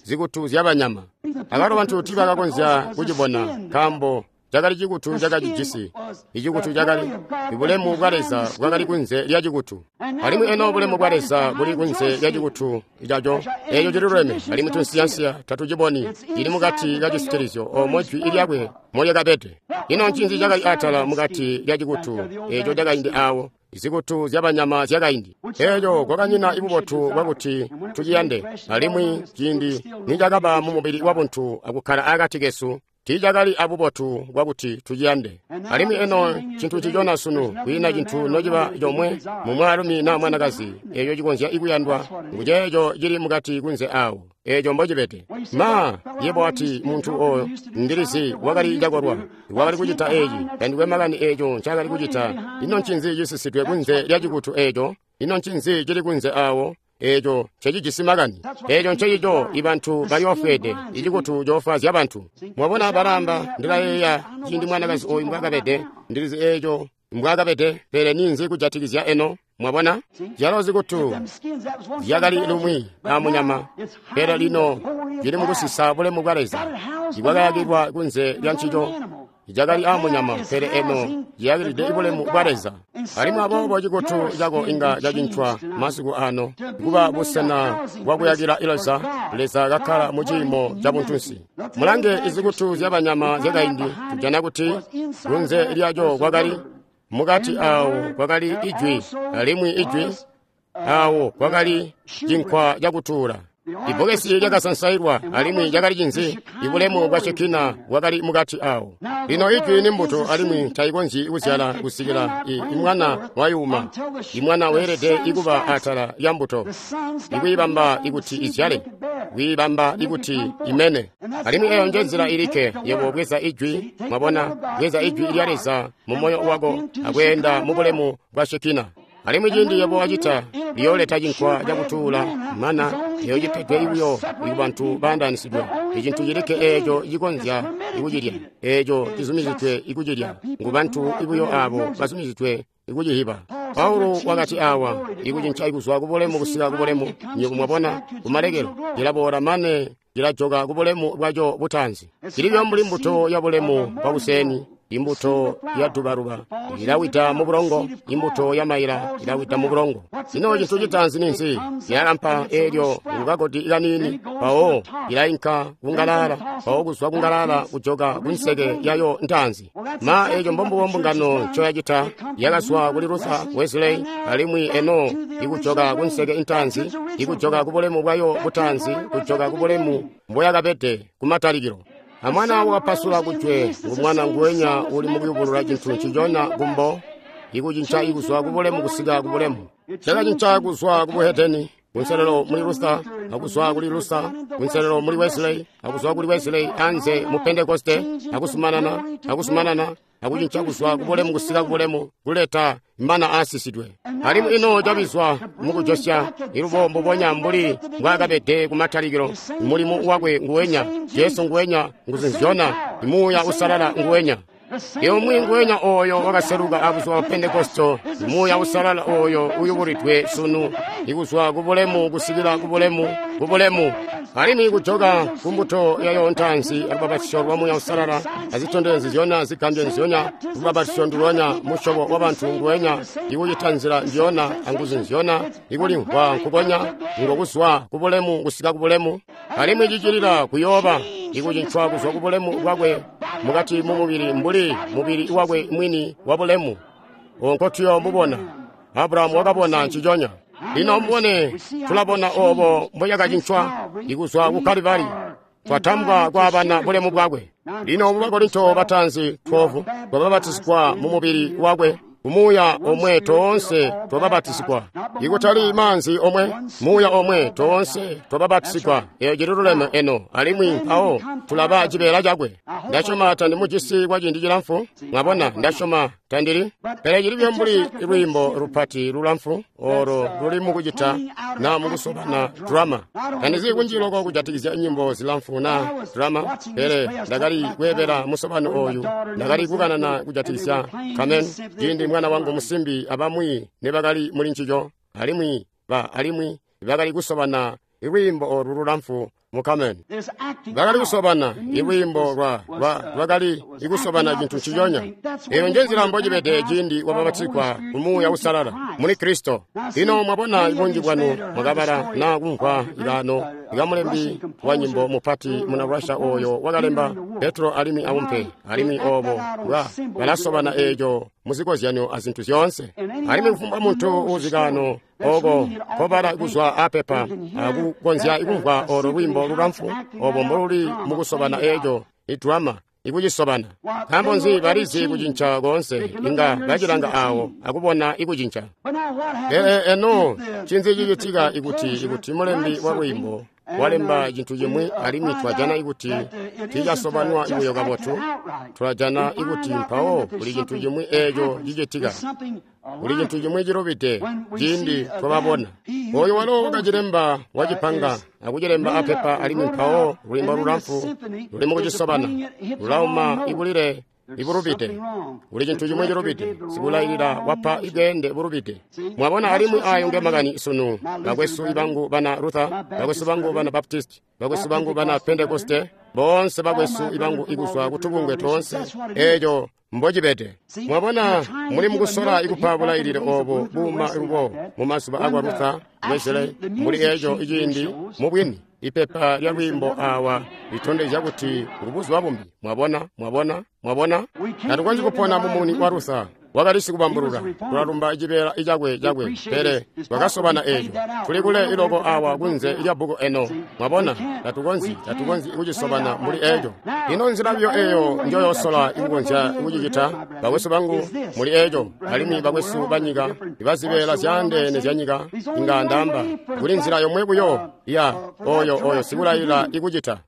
Zikutu zyabanyama. Abalo bantu tiibakakonzya kucibona nkaambo cakali cikutu cakacijisi. Icikutu cakali ibulemu bwa Leza bwakali kunze lya cikutu. Alimwi eno bulemu bwa Leza buli kunze lya cikutu caco. Eeco cililuleme, alimwi tunsiyansiya tatuciboni. Cili mukati ka cisitilizyo oomo jwi lyakwe molyakabede. Ino ncinzi cakali atala mukati lya cikutu eeco cakaindi aawo? Zikutu zyabanyama zyakaindi. Eeco kwakanyina ibubotu bwakuti tuciyande. Alimwi ciindi nicakaba mu mubili wabuntu akukkala akati kesu, tiicakali abubotu bwakuti tuciyande. Alimwi eno cintu ncicona sunu, kwiina cintu nociba comwe mu mwaalumi naa mwanakazi eeco cikonzya ikuyandwa nguceeco cili mukati kunze aawo. Eeco mbocibede. Ma, yebo wati muntu ooyo ndilizi wakali cakolwa, wakali kucita eeci, tandikwe makani eeco ncaakali kucita. Ino ncinzi cisisidwe kunze lya cikutu eeco? Ino ncinzi cili kunze aawo? Eeco ncecijisi makani. Eeco ncecico ibantu baliofweede, icikutu coofwaazya bantu. Mwabona balaamba, ndilayeeya ciindi mwanakazi ooyu mbwaakabede, ndilizi eeco mbwaakabede, pele ninzi kujatikizya eno? Mwabona? Zyalo zikutu zyakali lumwi amunyama, pele lino zili mukusisa bulemu bwa Leza. Ibwakayakilwa kunze lya ncico cakali amunyama, pele eno ciyakilide bulemu bwa Leza. Alimwi aboobo cikutu cako inga cacincwa masiku ano kuba busena bwakuyakila Leza, Leza kakkala mu ciimo ca buntunsi. Mulange izikutu zyabanyama zyakaindi, tujana kuti kunze lyaco kwakali mukati aawo kwakali ijwi, alimwi ijwi aawo kwakali cinkwa cakutuula. Ibbokesi lyakasansailwa, alimwi cakali cinzi? Ibulemu bwa Shekina bwakali mukati awo. Lino ijwi ni mbuto, alimwi tayikonzyi kuzyala kusikila imwana wayuma. Imwana weelede ikuba atala lya mbuto, ikuyibamba ikuti izyale, kuyibamba ikuti imene. Alimwi eyo nje nzila ilikke yebo bweza ijwi, mwabona, bweza ijwi lya Leza mu moyo wako akweenda mu bulemu bwa Shekina. Alimwi ciindi yebo wacita, liyooleta cinkwa cakutuula mana eyo cipedwe buyo kubantu baandaanisidwe. Icintu cilikke eeco cikonzya ikucilya, eeco cizumizidwe ikucilya, ngu bantu buyo aabo bazumizidwe ikucihiba. Paulo wakati awa, ikucinca kuzwa kubulemu kusika kubulemu, nywebo mwabona, kumalekelo, cilaboola mane cilajoka kubulemu bwaco butaanzi. Cili mbuli mbuto ya bulemu bwakuseni. Imbuto ya dubaluba ilawida mu bulongo, imbuto ya maila ilawida mu bulongo. Ino cintu citaanzi ninzi? Ilalampa eelyo kukagodi kaniini, mpawo ilainka kungalala, mpawo kuzwa kungalala kujoka kunseke yayo ntaanzi. Ma eeco mbombubo mbungano ncoyacita, yakazwa kuli Luther, Wesley, alimwi eno ikujoka kunseke intaanzi, ikujoka kubulemu bwayo butaanzi, kujoka kubulemu mboyakabede kumatalikilo. Amwana wakapasula kujwe ngumwana nguwenya uli mukuyubulula cintu ncicona kumbo, ikucinca ikuzwa kubulemu kusika kubulemu. Cakacinca kuzwa kubuhedeni kunselelo muli Luther, akuzwa kuli Luther kunselelo muli Wesley, akuzwa kuli Wesley anze mu Pentekoste, akusumanana, akusumanana, akucinca kuzwa kubulemu kusika kubulemu, kuleta mana aasisidwe. Alimwi ino cabizwa mukujosya ilubo mbubonya mbuli mbwaakabede kumatalikilo. Mulimu wakwe nguwenya, Jesu nguwenya, nguzu nzyona, Muuya Usalala nguwenya. Iumwi nguwenya ooyo wakaseluka abuzuba bwa Pentekosto, Muuya Usalala ooyo uyubulidwe sunu, ikuzwa kubulemu kusikila kubulemu, kubulemu. Alimwi kujoka kumbuto yayo ntaanzi alubapatizyo lwa Muuya Usalala, azitondezyo nzyona, zigambyo nzyona, lubapatizyo ndulonya, musyobo wabantu nguwenya, ikucita nzila ndyona anguzu nzyona, ikulimvwa nkukonya, ngokuzwa kubulemu kusika kubulemu. Alimwi cicilila kuyooba ikucincwa kuzwa kubulemu bwakwe mukati mu mubili mbuli mubili wakwe mwini wa bulemu. Onko tuyomubona. Abrahamu wakabona nciconya. Lino mubone, tulabona obo mboyakacincwa ikuzwa ku Kalivari, twatambwa kwaabana bulemu bwakwe. Lino mu Bakorinto bataanzi 12 twababatizigwa mu mubili wakwe. Kumuuya omwe toonse twabapatizigwa. Ikutali maanzi omwe, muuya omwe toonse twabapatizigwa. Eyo cililuleme eno, alimwi mpawo tulaba cibeela cakwe. Ndasyoma tandimujisi kwa ciindi cilamfu. Mwabona, ndasyoma tandili. Pele cili buyo mbuli lwiimbo lupati lulamfu olo luli mukucita na mukusobana drama. Tandizi kunji loko kujatikizya nyimbo zilamfu na drama, pele ndakali kweebela musobano oyu. Ndakali kukanana kujatikizya Carmen, ciindi mwana wangu musimbi abamwi nebakali muli ncico, alimwi alimwi bakali kusobana lwiimbo olu lulamfu mu Carmen. Bakali kusobana ilwiimbo lwakali ikusobana cintu nciconya. Eyo nje nzila mbocibede ciindi wabapatizigwa ku Muuya Uusalala muli Kristo. Lino mwabona ibunji bwanu mwakabala na kumvwa ikaano ikamulembi wa nyimbo mupati muna Russia oyo wakalemba Petro alimwi aumpe, alimwi obo balasobana eeco muzikozyanyo azintu zyoonse. Alimwi kufumbwa muntu uuzikaano oko kobala kuzwa apepa akukonzya ikumvwa olo lwiimbo lulamfu obo mboluli mukusobana eeco idrama ikucisobana. Nkaambo nzi balizi kucinca koonse, inga bacilanga awo akubona ikucinca. Pele eno ncinzi cicitika ikuti mulembi wa lwiimbo walemba cintu cimwi alimwi twajana ikuti tiicasobanwa buyo kabotu, tulajana ikuti mpawo kuli cintu cimwi eeco cicitika. Kuli cintu cimwi cilubide ciindi twababona. Oyo walo wakacilemba wacipanga akucilemba apepa, alimwi mpawo lwiimbo lulamfu luli mukucisobana lulauma ibulile ibulubide. Kuli cintu cimwi cilubide. Sikulailila wapa ibweende bulubide. Mwabona, alimwi ayo nge makani sunu. Bakwesu ibangu bana Luther, bakwesu bangu bana Baptist, bakwesu bangu bana Pentekoste, boonse bakwesu ibangu ikuzwa kutubungwe toonse, eeco mbocibede. Mwabona, muli mukusola ikupa bulailile obo buuma lubo mumazuba akwa Luther, Wesley, muli eeco iciindi mubwini. Ipepa lya lwiimbo awa litondezya kuti ngubuzuba bumbi. Mwabona, mwabona, mwabona. Tatukonzyi kupona mumuni wa Luther. Wakali sikubambulula. Tulalumba cibeela icakwe cakwe, pele twakasobana eeco. Tuli kule iloko awa kunze lya bbuku eno. Mwabona, tatukonzyi kucisobana muli eeco. Ino nzila biyo eyo njoyosola ikukonzya kucicita, bakwesu bangu, muli eeco, alimwi bakwesu banyika, ibazibeela zyaandeene zyanyika, inga ndaamba, kuli nzila yomwe buyo ya oyo sikulailila ikucita.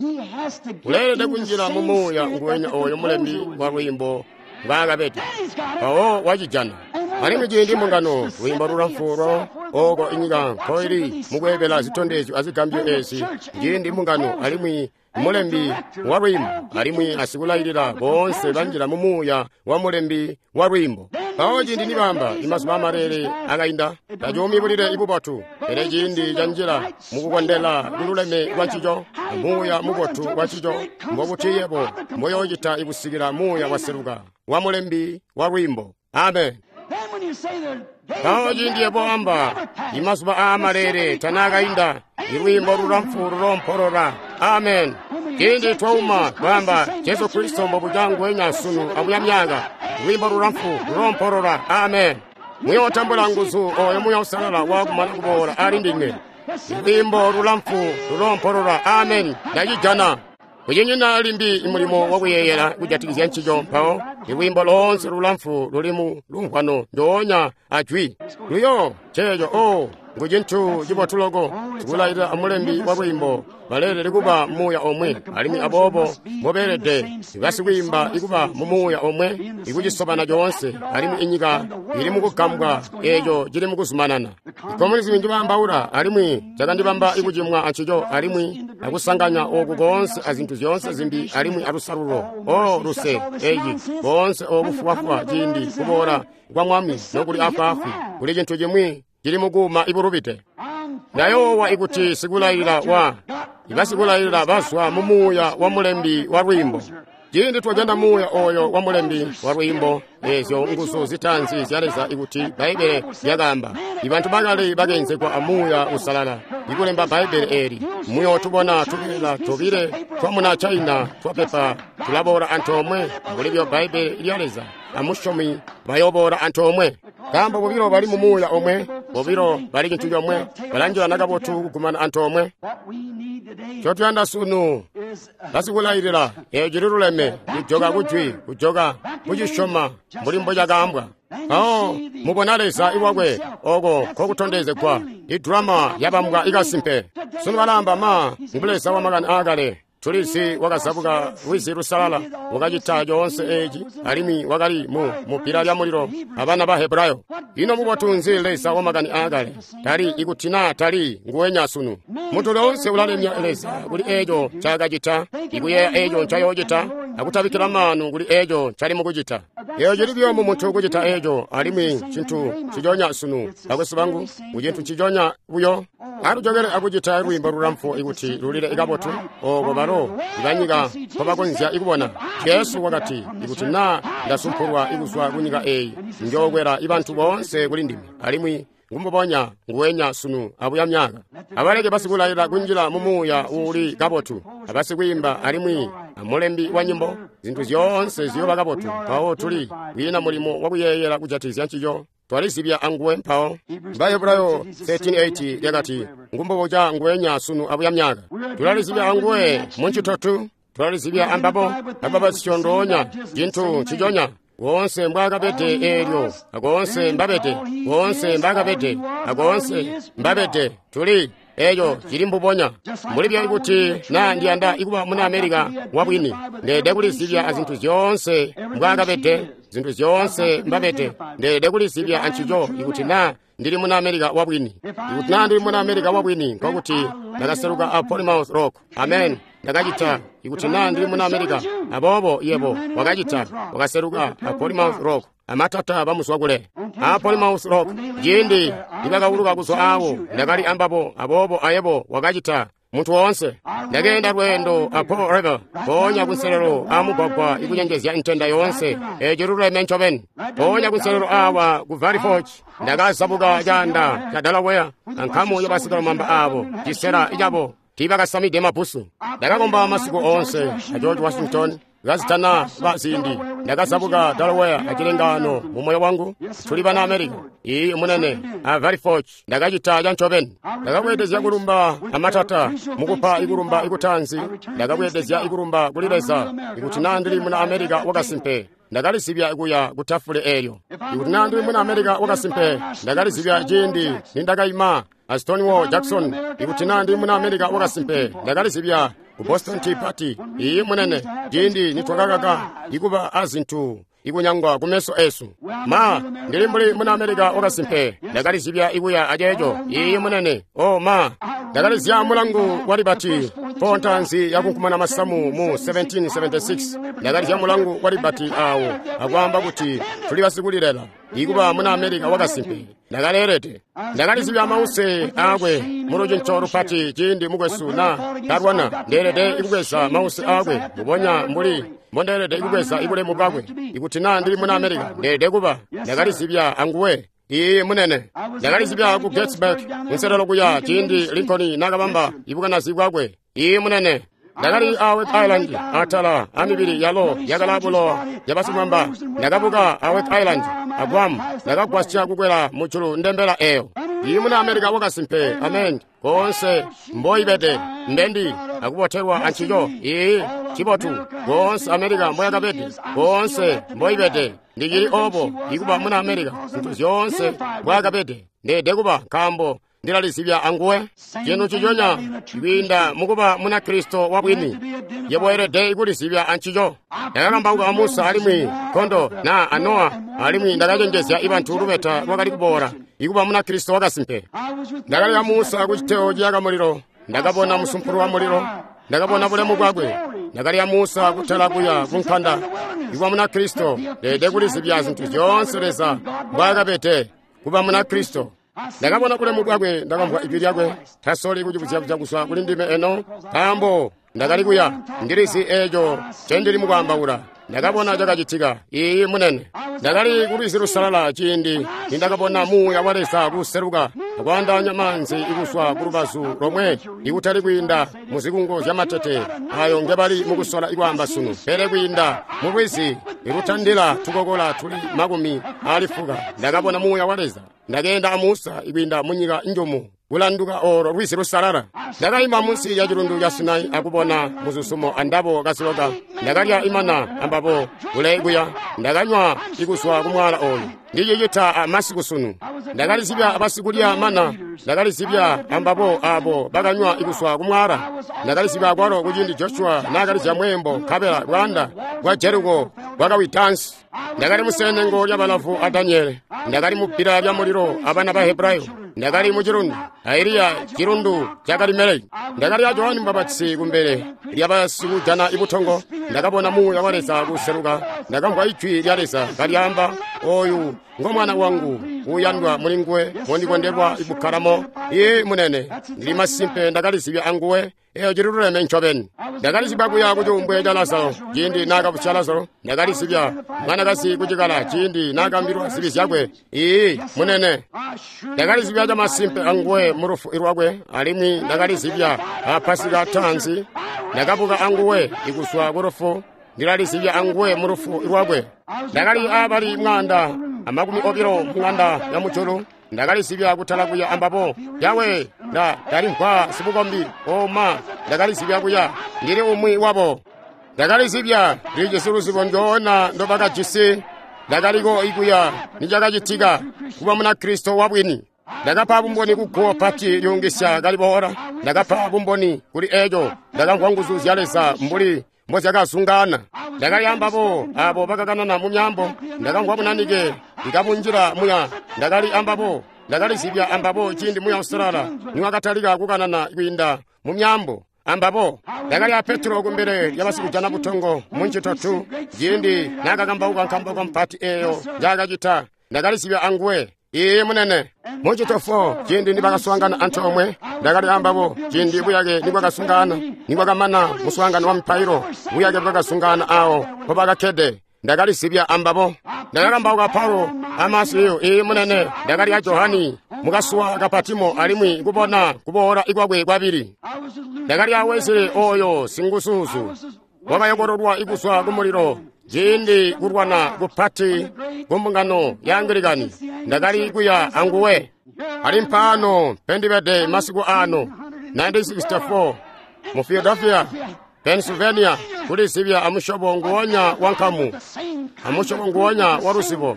Uleelede kunjila mu muuya nguwenya oyo mulembi wa lwiimbo mbwaakabede, mpawo wacijana. Alimwi ciindi mbungano lwiimbo lulamfu lwa oko inyika nkoili mukweebela zitondezyo azigambyo ezi, ciindi mbungano alimwi mulembi wa lwiimbo alimwi asikulailila boonse banjila mu muuya wa mulembi wa lwiimbo. Mpawo ciindi nibamba imazuba amalele akainda, tacuumi bulile ibubotu, pele ciindi canjila mukukondela kululeme kwa ncico, muuya mubotu wa ncico, mbobuti yebo mboyoocita ikusikila muuya waseluka wa mulembi wa lwiimbo. Amen. Mpawo ciindi yebo amba imazuba aamalele tanaakainda, ilwiimbo lulamfu lulompolola. Amen. Ciindi twauma twaamba Jesu Kristo mbobuca nguwenya sunu abuya myaka, lwiimbo lulamfu lulompolola. Amen. Muyootambula nguzu oyo Muuya Uusalala waakumana kuboola ali ndinywe. Lwiimbo lulamfu lulompolola. Amen. Ndacijana. Kucinyina limbi mulimo wakuyeeyela kujatikizya ncico, mpawo ilwiimbo loonse lulamfu luli mu lumvwano ndoonya ajwi luyo ceeco. O ngu cintu cibotu loko. Sikulailila amulembi wa lwiimbo baleelede kuba muuya omwe, alimwi aboobo mbobeelede basikwiimba ikuba mu muuya omwe ikucisobana coonse, alimwi inyika ili mukugambwa eeco cili mukuzumanana. Ikomunizimu njibaambaula, alimwi cakandibamba ikucimwa ancico, alimwi akusanganya oku koonse azintu zyoonse zimbi, alimwi alusalulo. O luse eci boonse obufubafuba ciindi kuboola kwa Mwami nokuli afwaafwi, kuli cintu cimwi cili mukuuma ibulubide. Ndayoowa ikuti sikulailila ibasikulayilila bazwa mu muuya wa mulembi wa lwiimbo. Ciindi twajana muuya oyo wa mulembi wa lwiimbo, eezyo nguzu zitaanzi zya Leza ikuti Bbaibbele lyakaamba, ibantu bakali bakeenzegwa a Muuya Uusalala ikulemba Bbaibbele eeli. Muyootubona tubeela tobile twamuna China twapepa tulaboola antoomwe mbuli byo Bbaibbele lya Leza amusyomi bayoboola antoomwe. Nkaambo bobilo bali mu muuya omwe, bobilo bali cintu comwe, balanjilana kabotu kugumana antoomwe. Ncotuyanda sunu basikulayilila, eeco cililuleme, kujoka kujwi, kujoka kucisyoma mbuli mbocakaambwa. Mpawo mubona Leza lwakwe oko nkokutondezegwa. Idrama yabambwa ikasimpe. Sunu balamba ma ngu Leza wa makani aakale. Tulizi wakazabuka lwizi lusalala, wakacita coonse eci, alimwi wakali mu mupira lya mulilo abana ba Hebrayo. Ino mubotu nzi Leza wa makani aakale? Tali ikuti naa tali nguwenya sunu. Muntu lyoonse ulalemya Leza kuli eco ncaakacita, ikuyeeya eco ncayoocita, akutabikkila maanu kuli eco ncali mukucita. Eco cili buyo mu muntu kucita eco, alimwi cintu nciconya sunu, bakwesu bangu, kucintu nciconya buyo. Atujokele akucita lwiimbo lulamfu ikuti lulile kabotu, oko balo ibanyika mpobakonzya ikubona. Jesu wakati, ikuti naa ndasumpulwa ikuzwa kunyika eyi, njookwela ibantu boonse kuli ndime, alimwi ngumbubonya nguwenya sunu abuya myaka. Abaleke basikulaila kunjila mu muuya uuli kabotu, abasikwiimba alimwi amulembi wa nyimbo, zintu zyoonse ziyooba kabotu. Mpawo tuli kwiina mulimo wakuyeeyela kujatikizya ncico. Twalizibya anguwe mpawo. Bahebulayo 13:8 lyakati, ngumbuboca nguwenya sunu abuya myaka. Tulalizibya anguwe muncitotu, tulalizibya ambabo, ababasicondonya, cintu nciconya. Woonse mbwaakabede eelyo, akoonse mbabede, woonse mbakabede, akoonse mbabede, tuli eeco cili mbubonya. Mbuli buyo kuti naa ndiyanda ikuba muna Amerika wabwini, ndeede kulizibya azintu zyoonse mbwaakabede, zintu zyoonse mbabede, ndeede kulizibya ancico ikuti naa ndili muna Amerika wabwini. Ikuti naa ndili muna Amerika wabwini, nkokuti ndakaseluka a Plymouth Rock. Amen. Ndakacita ikuti naa ndili muna Amerika. Aboobo yebo wakacita, wakaseluka a Plymouth Rock. Amatata bamuzwa kule a Plymouth Rock. Ciindi nibakauluka kuzwa awo, ndakali ambabo. Aboobo ayebo wakacita. Muntu woonse ndakeenda lweendo a Paul River, mpoonya kunselelo amugwagwa ikucenjezya ntenda yoonse eco luleme ncobeni. Mpoonya kunselelo awa ku Valley Forge ndakazabuka caanda ca Delaware ankamu yabasikalumamba aabo cisela cabo tiibakasamide mabusu. Ndakakomba masiku oonse a George Washington kazitana ba ziindi. Ndakazabuka Delaware acilengano mu moyo wangu, tuli bana America. Iyi munene a Valley Forge ndakacita ca ncobeni. Ndakabweedezya kulumba amatata mukupa ikulumba ikutanzi. Ndakabweedezya ikulumba kuli Leza ikuti naa ndili muna America wakasimpe. Ndakalizibya kuya ku tafule eelyo. Ikuti naa ndili muna America wakasimpe, ndakalizibya ciindi nindakaima a Stonewall Jackson. Ikuti naa ndili muna America wakasimpe, ndakalizibya ku Boston Tea Party. Iyi munene, ciindi nitwakakaka ikuba azintu ikunyangwa kumeso esu. Ma, ndili mbuli muna America wakasimpe, ndakalizibya ikuya aceeco. Iyi munene, o ma, ndakalizya mulangu wa Liberty pontanzi yakunkumana masamu mu 1776. Ndakalizya mulangu wa Liberty awo akwaamba kuti tuli basikulilela ikuba muna America wakasimpe. Ndakaleelede. Ndakalizibya mause aakwe mulucinco lupati ciindi mukwesu na kalwana. Ndeelede ikubweza mause aakwe mbubonya mbuli mbondeelede ikubweza ibulemu bwakwe. Ikuti naa ndili muna America, ndeelede kuba. Ndakalizibya anguwe. Iyi munene, ndakalizibya ku Gettysburg kunselelo kuya ciindi Lincoln nakabamba ibukanazi bwakwe. Iyi munene, ndakali a Wake Island atala amibili yalo yakalabulo yabasimwamba. Ndakabuka a Wake Island a Guam, ndakagwasya kukwela mujulu ndembela eyo. Iyi muna America wakasimpe. Amen. Koonse mboibede ndendi akubotelwa ancico. Iyi cibotu. Koonse America mboyakabede, koonse mboibede ndicili obo ikuba muna America. Zintu zyoonse mbwaakabede ndeede kuba, nkaambo ndilalizibya anguwe. Cintu ciconya kwiinda mukuba muna Kristo wabwini, yebo elede ikulizibya ancico. Ndakakambauka a Musa alimwi nkondo na a Nowa, alimwi ndakacenjezya ibantu lubeta lwakali kuboola ikuba muna Kristo wakasimpe. Ndakali a Musa ku citeo ciyaka mulilo, ndakabona musumpulu wa mulilo, ndakabona bulemu bwakwe. Ndakali a Musa kutala kuya kunkanda. Ikuba muna Kristo ndeede kulizibya zintu zyoonse Leza mbwaakabede kuba muna Kristo. Ndakabona bulemu bwakwe, ndakamvwa ijwi lyakwe. Tasoli kucibuzya kuzwa kuli ndime eno, nkaambo ndakali kuya ndilizi eeco ncendili mukwaambaula. Ndakabona cakacitika. Iyi munene, ndakali ku lwizi lusalala ciindi nindakabona muuya wa Leza kuseluka akwaandaanya maanzi ikuzwa ku lubazu lomwe, ikutali kwiinda mu zikungo zyamatete ayo ngebali mukusola ikwaamba sunu, pele kwiinda mu lwizi ilutandila tukokola tuli 40. Ndakabona muuya wa Leza. Ndakeenda a Musa ikwiinda munyika njumu. kulanduka olo lwizi lusalala. Ndakaima munsi lya cilundu ca Sinai akubona muzuzumo andabo kaziloka. Ndakalya imana ambabo kule kuya. Ndakanywa ikuzwa kumwaala oyu. Ndicicita amasiku sunu. Ndakalizibya abasikulya mana. Ndakalizibya ambabo abo bakanywa ikuzwa kumwaala. Ndakalizibya akwalo kuciindi Joshua naakalizya mweembo nkabela bwaanda bwa Jeriko bwakawitansi. Ndakali musenengo lya balavu a Daniele. Ndakali mu bbila lya mulilo abana ba Hebrayo. Ndakali mu cilundu a Eliya cilundu ca Karimeleki. Ndakali a Johani Mubapatizi kumbele lya basikujana ibutongo. Ndakabona Muuya wa Leza kuseluka. Ndakamvwa ijwi lya Leza kalyaamba, oyu ngo mwana wangu uuyandwa muli nguwe mondikondelwa ikukkalamo. Iye munene, ndili masimpe ndakalizibya anguwe. Eyo cililuleme ncobeni. Ndakalizibya kuya ku cuumbwe ca Lazaro ciindi naakabusya Lazaro. Ndakalizibya mwanakazi kucikala ciindi naakaambilwa zibi zyakwe. Iiyi munene, ndakalizibya camasimpe anguwe mu lufu lwakwe, alimwi ndakalizibya a Pasika taanzi. Ndakabuka anguwe ikuzwa ku lufu. Ndilalizibya anguwe mu lufu lwakwe. Ndakali abali 120 mung'anda ya mujulu. Ndakalizibya kutala kuya ambabo. Yawe, ndalimvwa sibukombi. Oma, ndakalizibya kuya. Ndili umwi wabo. Ndakalizibya ndilijisi luzibo ndoona ndobakajisi. Ndakaliko ikuya nicakacitika kuba muna Kristo wabwini. Ndakapa bumboni kuguwo pati lyuungisya kaliboola. Ndakapa bumboni kuli eco. Ndakamvwa nguzu zya Leza mbuli mbozyakazungaana. Ndakali ambabo abo bakakanana mu myambo. Ndakamvwa bunanike ikabunjila muya. Ndakali ambabo. Ndakalizibya ambabo ciindi Muya Uusalala niwakatalika kukanana kwiinda mu myambo ambabo. Ndakali a Petro kumbele lya basikujana butongo mu ncito tu ciindi naakakambauka nkambauka mpati eeyo njaakacita. Ndakalizibya anguwe. Iye munene. Mu ncito 4 ciindi nibakaswaangana antoomwe, ndakali ambabo ciindi buyake nibwakasungana, nibwakamana muswaangano wa mipailo, buyake bwakasungana awo mpobakakkede. Ndakalizibya ambabo. Ndakakambauka Paulo amasiyo. Iye munene. Ndakali a Johani mukasuwa ka Patimo alimwi kubona kuboola ikwakwe kwabili. Ndakali a Wesley oyo singusuusu wakayokololwa ikuzwa kumulilo ciindi kulwana kupati kumbungano ya Anglikani. Ndakali kuya anguwe. Ali mpano pendibede masiku ano 1964 mu Philadelphia, Pennsylvania, kulizibya amusyobo nguwonya wa nkamu, amusyobo nguwonya wa luzibo.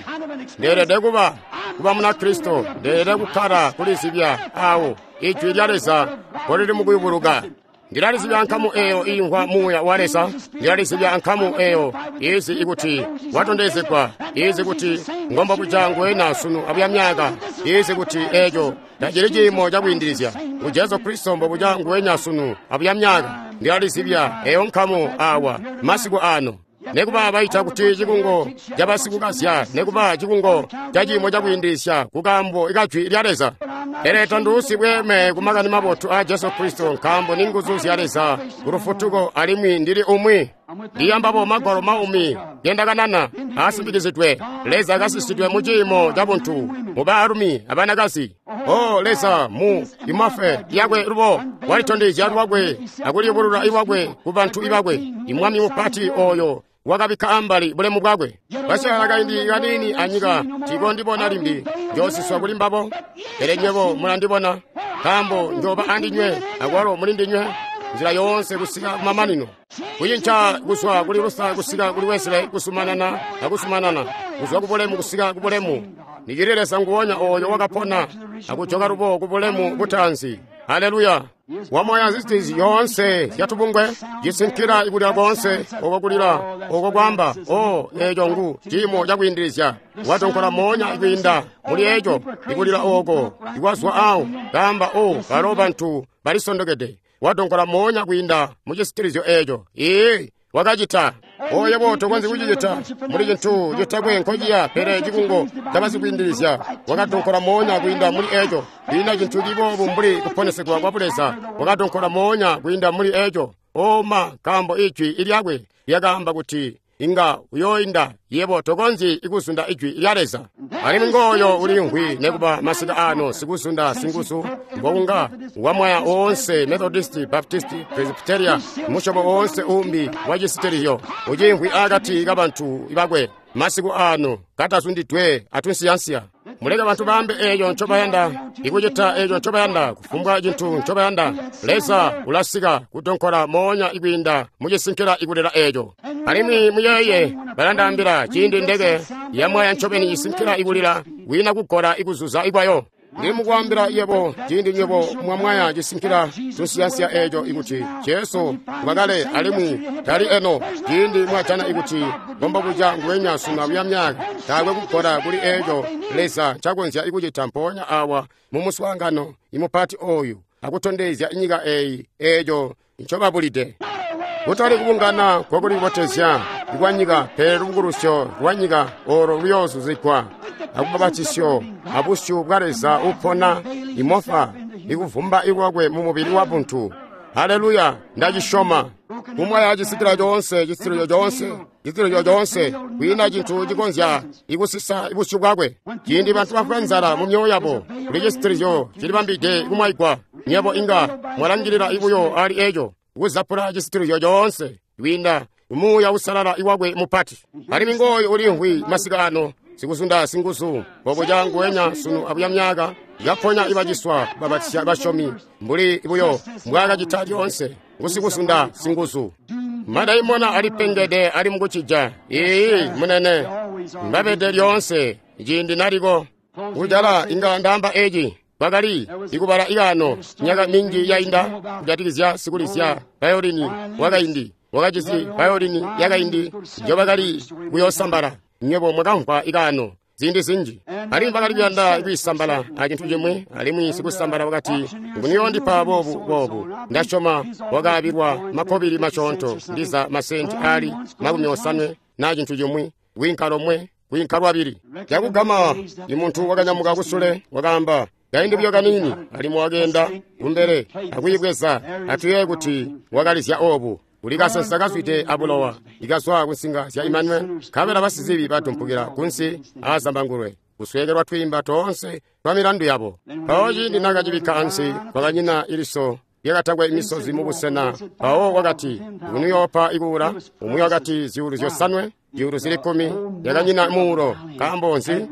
Ndeelede kuba muna Kristo. Ndeelede kukkala kulizibya awo ijwi lya Leza mpolili mukuyubuluka. Ndilalizibya nkamu eyo iimvwa Muuya wa Leza. Ndilalizibya nkamu eyo izi ikuti watondezegwa, izi kuti ngomba kuja nguwena sunu abuya myaka, izi kuti eco tacili ciimo cakwiindilizya ngu Jesu Kristo mbobuca nguwenya sunu abuya myaka. Ndilalizibya eyo nkamu awa masiku ano. Nekuba baita kuti cikungo cabasikukazya, nekuba cikungo ca ciimo cakwiindilizya kukaambo ikajwi lya Leza. Pele tonduusi bweeme kumakani mabotu a Jesu Kristo, nkaambo ni nguzu zya Leza kulufutuko, alimwi ndili umwi. Ndiyambabo magwalo maumi gendakanana asimbikizidwe. Leza akasisidwe mu ciimo ca buntu mu baalumi abanakazi. O Leza mu imafe yakwe lubo walitondezya lwakwe akuliyubulula iwakwe ku bantu ibakwe. Imwami mupati oyo wakabikka ambali bulemu bwakwe. Basyala kaindi kaniini anyika tikondibona limbi, njoosiswa kuli mbabo. Pele nywebo mulandibona, nkaambo njoba andinywe akwalo mulindinywe nzila yoonse kusika kumamanino. Kucinca kuzwa kuli Luther kusika kuli Wesley, kusumanana akusumanana, kuzwa kubulemu kusika kubulemu. Nicili Leza nguwonya oyo wakapona akujoka lubo kubulemu butaanzi. Haleluya! Wamoya zizitizi yoonse zyatubungwe cisinkila ikulila koonse oko kulila oko kwamba o eco ngu ciimo cakwiindilizya. Watonkola moonya ikwiinda muli eco ikulila oko ikwazwa awo kamba o balo bantu balisondokede. Wadonkola moonya kwiinda mu cisitilizyo eco. Iye wakacita. Oyebo tokonzyi kucicita muli cintu citakwe nkociya, pele cikungo cabasikwiindilizya. Wakadonkola moonya kwiinda muli eco. Kwiina cintu ciboobu mbuli kuponesegwa kwa Buleza. Wakadonkola moonya kwiinda muli eco. Oma, nkaambo ijwi ilyakwe lyakaamba kuti inga uyooinda, yebo tokonzyi ikuzunda ijwi lya Leza. Alimwi ngooyo uliimvwi nekuba masika ano sikuzunda singuzu, mbokunga wamwaya oonse Methodist, Baptist, Presbyteria, musyobo oonse umbi wa cisitiliyo uciimvwi akati kabantu bakwe masiku ano katazundidwe atunsiyansiya. Muleke bantu baambe eeco ncobayanda, ikucita eeco ncobayanda, kufumbwa cintu ncobayanda. Leza ulasika kudonkola moonya ikwiinda mucisinkila ikulila eeco. Alimwi muyeeye, balandaambila ciindi ndeke yamwaya ncobeni isinkila ikulila kwiina kugola ikuzuza ikwayo. Ndili mukwaambila yebo ciindi nywebo mwamwaya cisinkila tunsiyansiya eeco ikuti Jesu ngwakale alimwi tali eno. Ciindi mwajana ikuti ngombobuca nguwenya sunu amuya myaka, taakwe kugola kuli eeco Leza ncakonzya ikucita mpoonya awa mu muswaangano imupati ooyu akutondezya inyika eeyi eeco ncobabulide. Kutali kubungana kwakulibotezya kwanyika, pele lubukulusyo lwanyika olo luyoozuzigwa akubabatisyo abusyu bwa Leza upona imofa ikuvumba ikwakwe mu mubili wa buntu. Haleluya, ndacisyoma. Kumwaya cisikila coonse, cisitilizyo coonse, cisitilizyo coonse, kwiina cintu cikonzya ikusisa busyu bwakwe. Ciindi bantu bafwa nzala mu myoyo yabo, kuli cisitilizyo cilibambide kumwaigwa. Nyebo inga mwalangilila ibuyo ali eco, kuzapula cisitilizyo coonse kwiinda Muuya Uusalala iwakwe mupati. Alimwi ngooyu ulimvwi masika ano, sikuzunda singuzu, mbobuca nguwenya sunu abuya myaka, kaponya ibaciswa babatisya basyomi mbuli buyo mbwaakacita lyoonse. Ngusikuzunda singuzu. Madaimona alipengede ali mukucija. Iiyi munene, mbabede lyoonse ciindi naliko. Kujala inga ndaamba eci. Bakali ikubala ikano myaka minji yainda kujatikizya sikulizya vayolini wakaindi wakajisi vayolini yakaindi njobakali kuyoosambala. Nywebo mwakamvwa ikano ziindi zinji. Alimwi bakali kuyanda kwiisambala acintu cimwi, alimwi sikusambala wakati, "Nguniyoondipa boobu boobu." Ndasyoma wakaabilwa makobili masyoonto, ndiza masenti ali 80 naa cintu cimwi, kwiinka lomwe, kwiinka lwabili. Cakugama imuntu wakanyamuka kusule wakaamba, "Kaindi buyo kaniini." Alimwi wakeenda kumbele akuyibweza. Atuyeeye kuti wakalizya oobu. Kuli kasensa kazwide abulowa ikazwa kunsinga zya Imanueli, nkabela basizibi batumpukila kunsi aazambangulwe, kusweekelwa twiimba toonse twa milandu yabo. Mpawo ciindi naakacibikka ansi, kwakanyina iliso lyakatakwe misozi mubusena. Mpawo wakati, "Ngunuyoopa ikuula?" Umwi wakati, 5,000, 10,000. Yakanyina muulo. Nkaambo nzi?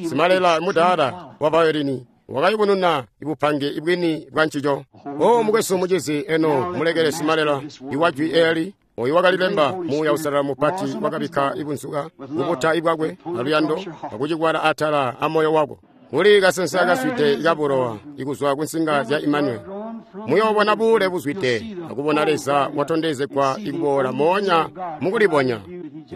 Simalela mudaala wa vayolini wakayubununa ibupange bwini bwa ncico. O mukwesu mucizi, eno mulekele simalela iwajwi eeli oyu wakalilemba Muuya Uusalala mupati wakabikka ibunzuka kubuta ibwakwe aluyando akucikwala atala amoyo wako. Kuli kasensa kazwide ikabulowa ikuzwa kunsinga zya Imanueli. Muyoobona buule buzwide akubona Leza watondezegwa ikuboola moonya mukulibonya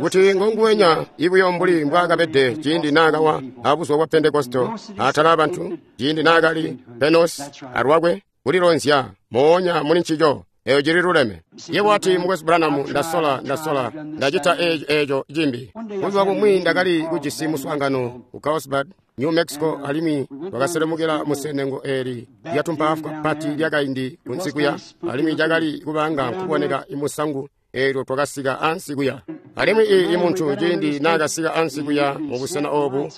kuti ngonguwenya ibuyo mbuli mbwaakabede ciindi naakawa abuzuba bwa Pentekosto atala abantu, ciindi naakali Penosi alwakwe kulilonzya moonya muli ncico. Eyo cili luleme. Yebo wati, "Mukwesu Branham, ndasola, ndacita eeco cimbi." Buzuba bumwi ndakali kujisi muswaangano ku Carlsbad, New Mexico, alimwi twakaselemukila musenengo eeli lyatumpaafwa pati lyakaindi kunsi kuya, alimwi cakali kubanga nkuboneka imusangu eelyo twakasika ansi kuya. Alimwi imuntu ciindi naakasika ansi kuya mu busena oobu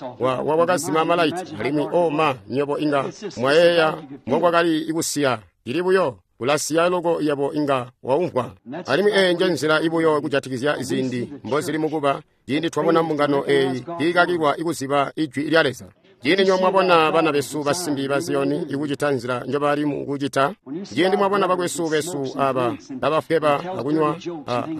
wakazima malaiti, alimwi oma nywebo inga mwayeeya mbokwakali kusiya. Cili buyo kulasiya loko yebo inga waumvwa. Alimwi eeyi nje nzila ibuyo kujatikizya ziindi mbozili mukuba ciindi twabona mbungano eeyi kiikakilwa ikuziba ijwi lya Leza. Ciindi nyo mwabona bana besu basimbi ba Ziyoni ikucita nzila njobali mukucita, ciindi mwabona bakwesu besu aba kabafweba akunywa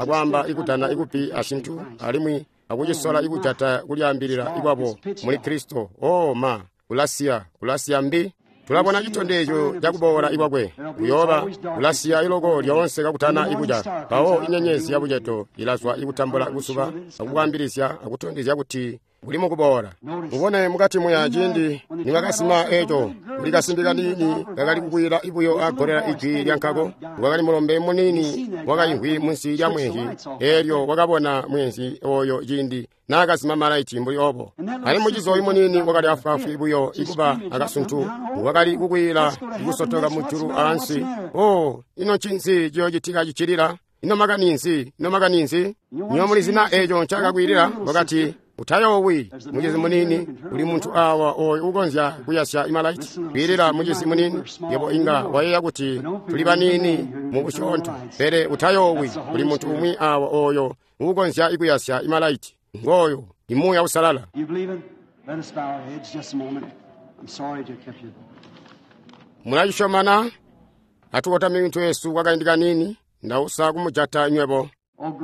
akwaamba ikudana ikupi acintu, alimwi akucisola ikujata kulyaambilila ikwabo muli Kristo, o ma, kulasiya mbi. Tulabona citondezyo cakuboola ikwakwe kuyooba kulasiya iloko lyoonse kakutana ikuca. Mpawo inyenyezi yabucedo ilazwa ikutambula kuzuba akukwaambilizya akutondezya kuti buli mukuboola. Mubone mukati muya ciindi niwakasima eeco, kuli kasimbi kaniini kakali kukwila ibuyo agolela ijwi lyankako. Wakali mulombe muniini wakaimvwi munsi lya mwezi, eelyo wakabona mwezi oyo ciindi naakazima malaiti mbuli obo. Alimwi mucizi oyu muniini wakali afwaafwi buyo ikuba akasuntu, wakali kukwila ikusotoka mujulu aansi. O, ino ncinzi ciyoocitika cicilila? Ino makani nzi? Ino makani nzi? Nyo mulizina eeco ncaakakwilila? Wakati, "Utayoowi, mucizi muniini, uli muntu awa oyo ukonzya kuyasya imalaiti." Kwiilila mucizi muniini, yebo inga wayeeya kuti tuli baniini mu busyoonto, pele utayoowi, uli muntu umwi awa oyo ukonzya ikuyasya imalaiti. Ngooyo imuuya usalala. Let us bow our heads just a moment. I'm sorry to have kept you. Mulacisyomana? Atukotame mitwe yesu kwakaindi kanini, ndausa kumujata nywebo.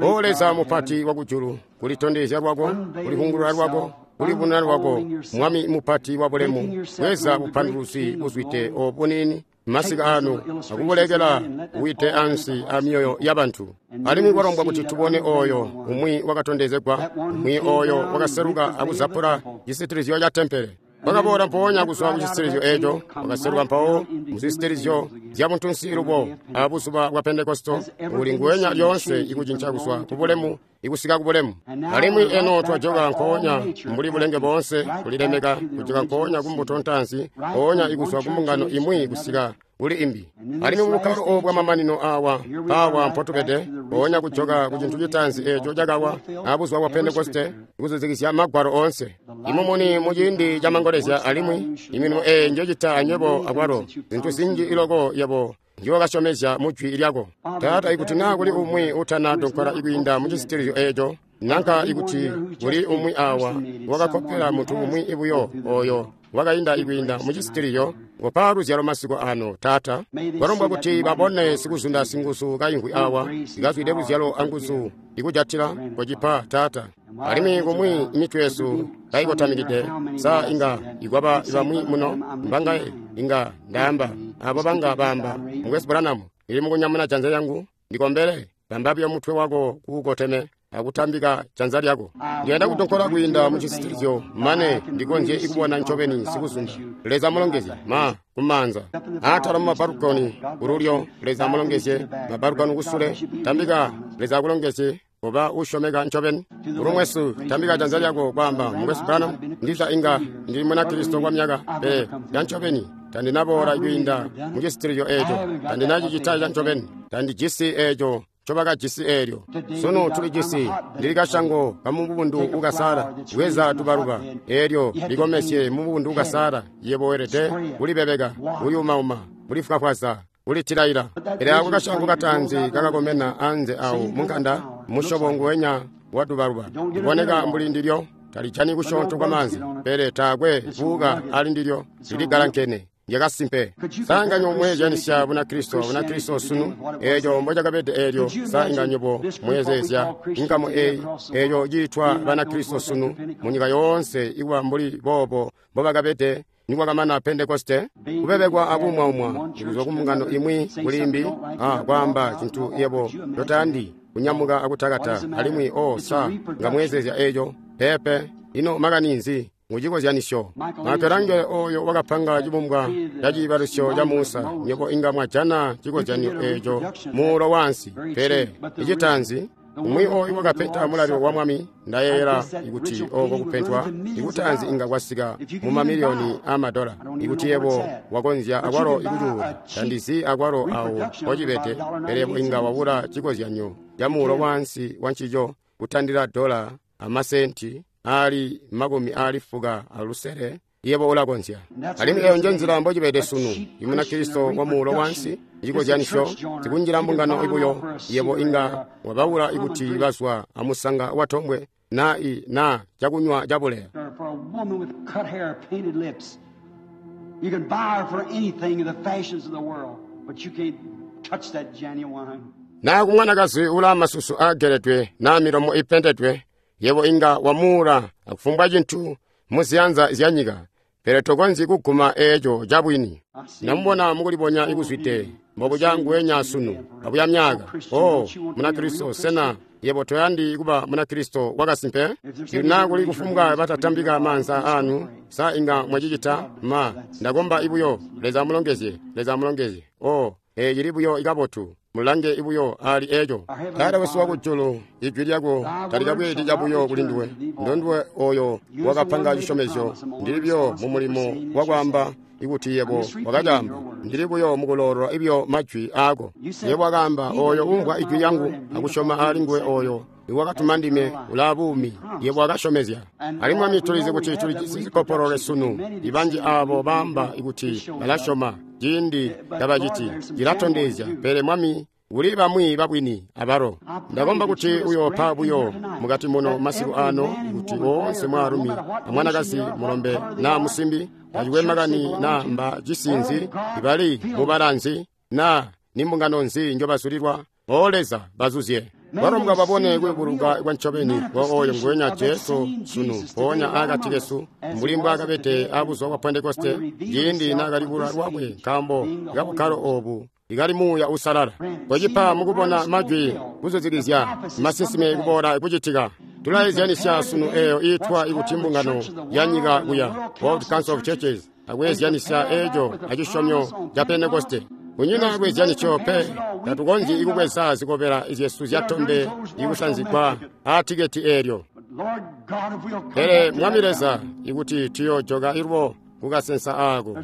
O Leza mupati wakujulu, kulitondezya lwako, kulihungulula lwako, kulibonera lwako, Mwami mupati wa bulemu, bweza bupanduluzi buzwide obunini masika anu akubulekela wite ansi a myoyo ya bantu. Alimwi kwalombwa kuti tubone oyo umwi wakatondezegwa, umwi oyo wakaseluka akuzapula cisitilizyo ca tempele. Wakaboola mpoonya kuzwa ku cisitilizyo eco, wakaseluka mpawo mu zisitilizyo zya buntunsi lubo a buzuba bwa Pentekosto, uli nguwenya lyoonse ikucinca kuzwa ku bulemu ikusika ku bulemu. Alimwi eno twajoka nkoonya mbuli bulenge boonse kulilemeka, kujoka nkoonya ku mbuto ntaanzi, nkoonya ikuzwa ku mbungano imwi kusika kuli imbi. Alimwi mu bukkalo obu bwamamanino awa, awa mpotubede, nkoonya kujoka ku cintu citaanzi eco cakawa a buzuba bwa Pentekoste, kuzuzikizya magwalo oonse. Imumuni mu ciindi ca mangolezya, alimwi imilimo eyi njocita anywebo akwalo, zintu zinji iloko yebo njokasyomezya mu jwi lyako. Taata, ikuti naa kuli umwi utana donkola ikwiinda mu cisitilizyo eco, nanka ikuti kuli umwi awa wakakopela muntu umwi ibuyo oyo wakainda ikwiinda mu cisitilizyo, kopa luzyalo masiku ano, Taata. Kwalombwa kuti babone sikuzunda singuzu kaimvwi awa, ikazwide luzyalo anguzu ikujatila kocipa, Taata. Alimwi kumwi imitwe yesu kaikotamikide, sa inga ikwaba bamwi muno mbangaye inga ndaamba abo banga baamba, Mukwesu Branham, ili mukunyamuna janza lyangu ndikombele. Bamba buyo mutwe wako kuukoteme akutambika janza lyako. Ndiyanda kudonkola kwiinda mu cisitilizyo mane ndikonzye ikubona ncobeni sikuzunda. Leza mulongezye ma kumanza atala mu mabalukoni kululyo. Leza mulongezye mabalukoni kusule. Tambika, Leza akulongezye oba usyomeka ncobeni. Ulumwesu, tambika janza lyako kwaamba, Mukwesu Branham, ndiza inga ndili muna Kristo kwa myaka, pele ya ncobeni tandinaboola kwiinda mu cisitilizyo eco, tandinacicita ca ncobeni, tandijisi eco ncobakajisi eelyo. Sunu tulijisi, ndili kashango kamubundu ukasala, bweza tubaluba eelyo likomesye mubundu ukasala. Yebo welede kulibebeka, kuyumauma, kulifwafwaza, kulitilaila. Pele ako kashango katanzi kakakomena anze awo munkanda, musyobo nguwenya wa tubaluba, liboneka mbuli ndilyo, talijani kusyoonto kwa maanzi, pele taakwe buuka ali ndilyo, liligalankene. Lyakasimpe. Sa inga mweezyanisya Bunakristo, Bunakristo sunu, eeco mbocakabede eelyo. Sa inga nywebo mweezeezya inkamu eyi, eeyo ciitwa Banakristo sunu munyika yoonse ikuba mbuli boobo mbobakabede nikwakamana Pentekoste, kubebekwa akuumwaumwa kuzwa ku mbungano imwi kuli imbi, a kwaamba cintu yebo totayandi, kunyamuka akutakata, alimwi o sa nga mweezeezya eeco? Peepe. Ino makani nzi? Mucikozyanisyo, Michelangelo oyo wakapanga cibumbwa ca ciibalusyo ca Musa, nywebo inga mwajana cikozyanyo eco muulo wansi. Pele icitaanzi, umwi oyu wakapenta mulalilo wa Mwami, ndayeeyela ikuti oko kupentwa ikutaanzi inga kwasika mu mamiliyoni aamadola. Ikuti yebo wakonzya akwalo ikucuula, tandizi akwalo awo mpocibede, pele yebo inga wabula cikozyanyo ca muulo wansi wa ncico kutandila dola amasenti ali 60. Yebo ulakonzya. Alimwi eyo nje nzila mbocibede sunu. Imuna Kristo wa muulo wansi, icikozyanisyo, tikunjila mbungano ibuyo. Yebo inga wabaula ikuti bazwa amusanga watombwe na i na cakunywa cabuleya. For a woman with cut hair, painted lips, you can buy her for anything in the fashions of the world, but you can't touch that genuine. Na kumwanakazi ula masusu ageledwe na milomo ipendedwe, yebo inga wamuula akufumbwa cintu muziyanza zya nyika, pele tokonzyi kuguma eeco cabwini. Ndamubona mukulibonya ikuzwide mbobuca nguwenya sunu abuya myaka. O Munakristo, sena yebo toyandi kuba Munakristo wakasimpe? Ikuti kuli kufumbwa batatambika maanza anu, sa inga mwacicita? Ma ndakomba ibuyo. Leza amulongezye, Leza amulongezye. O eeci buyo ikabotu. Mulange ibuyo ali eco. Taata wesu wakujulu, ijwi lyako talikabweedi cabuyo kuli nduwe. Ndonduwe oyo wakapanga cisyomezyo. Ndili buyo mu mulimo wakwaamba ikuti yebo wakacaamba. Ndili buyo mukuloolola ibyo majwi aako. Yebo wakaamba, oyo umvwa ijwi lyangu akusyoma ali nguwe oyo iwakatuma ndime ulaa buumi. Yebo wakasyomezya. Alimwi Mwami, tulizi kuti tulijisi zikopolole sunu. Ibanji aabo baamba ikuti balasyoma ciindi tabaciti. Cilatondezya. Pele Mwami, Kuli bamwi babwini abalo. Ndakomba kuti uyoopa buyo mukati muno masiku ano kuti woonse mwaalumi amwanakazi mulombe naa musimbi tacikwe makani naa mba cisinzi ibali mubalanzi naa nimbungano nzi njobazulilwa o Leza bazuzye. Balombwa babone kuyubuluka kwa ncobeni kwa oyo nguwenya Jesu sunu mpoonya akati kesu mbuli mbwaakabede abuzuba bwa Pentekoste ciindi naakali kulwa lwakwe nkaambo kabukkalo oobu ikali Muuya Uusalala. Kocipa mukubona majwi kuzuzikizya masinsime kuboola kucitika. Tulaezyanisya sunu eeyo iitwa ikuti mbungano ya nyika kuya World Council of Churches akweezyanisya eeco acisyomyo ca Pentekoste. Kunyina kweezyanisyo pe, tatukonzyi kubweza zikobela zyesu zyatombe ikusanzigwa aatiketi eelyo. Pele Mwami Leza, ikuti tuyoojoka ilwo kukasensa aako,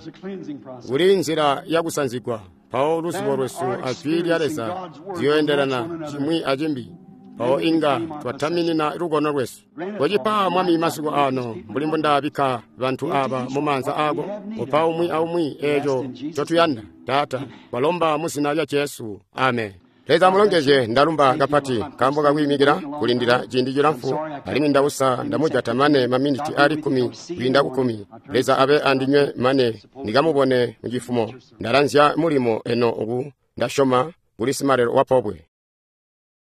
kuli nzila yakusanzigwa, mpawo luzibo lwesu ajwi lya Leza ziyooendelana cimwi acimbi, mpawo inga twataminina lukono lwesu. Kocipa Mwami masiku ano mbuli mbundabikka bantu aba mumaanza aako, kopa umwi aumwi eeco ncotuyanda, Taata, twalomba mu zina lya Jesu. Amen. Leza amulongezye. Ndalumba kapati nkaambo kakwiimikila kulindila ciindi cilamfu, alimwi ndausa ndamujata mane maminiti ali 10 kwiinda ku 10. Leza abe andinywe mane ndikamubone mucifumo. Ndalanzya mulimo eno oku ndasyoma kuli simalelo wa pobwe.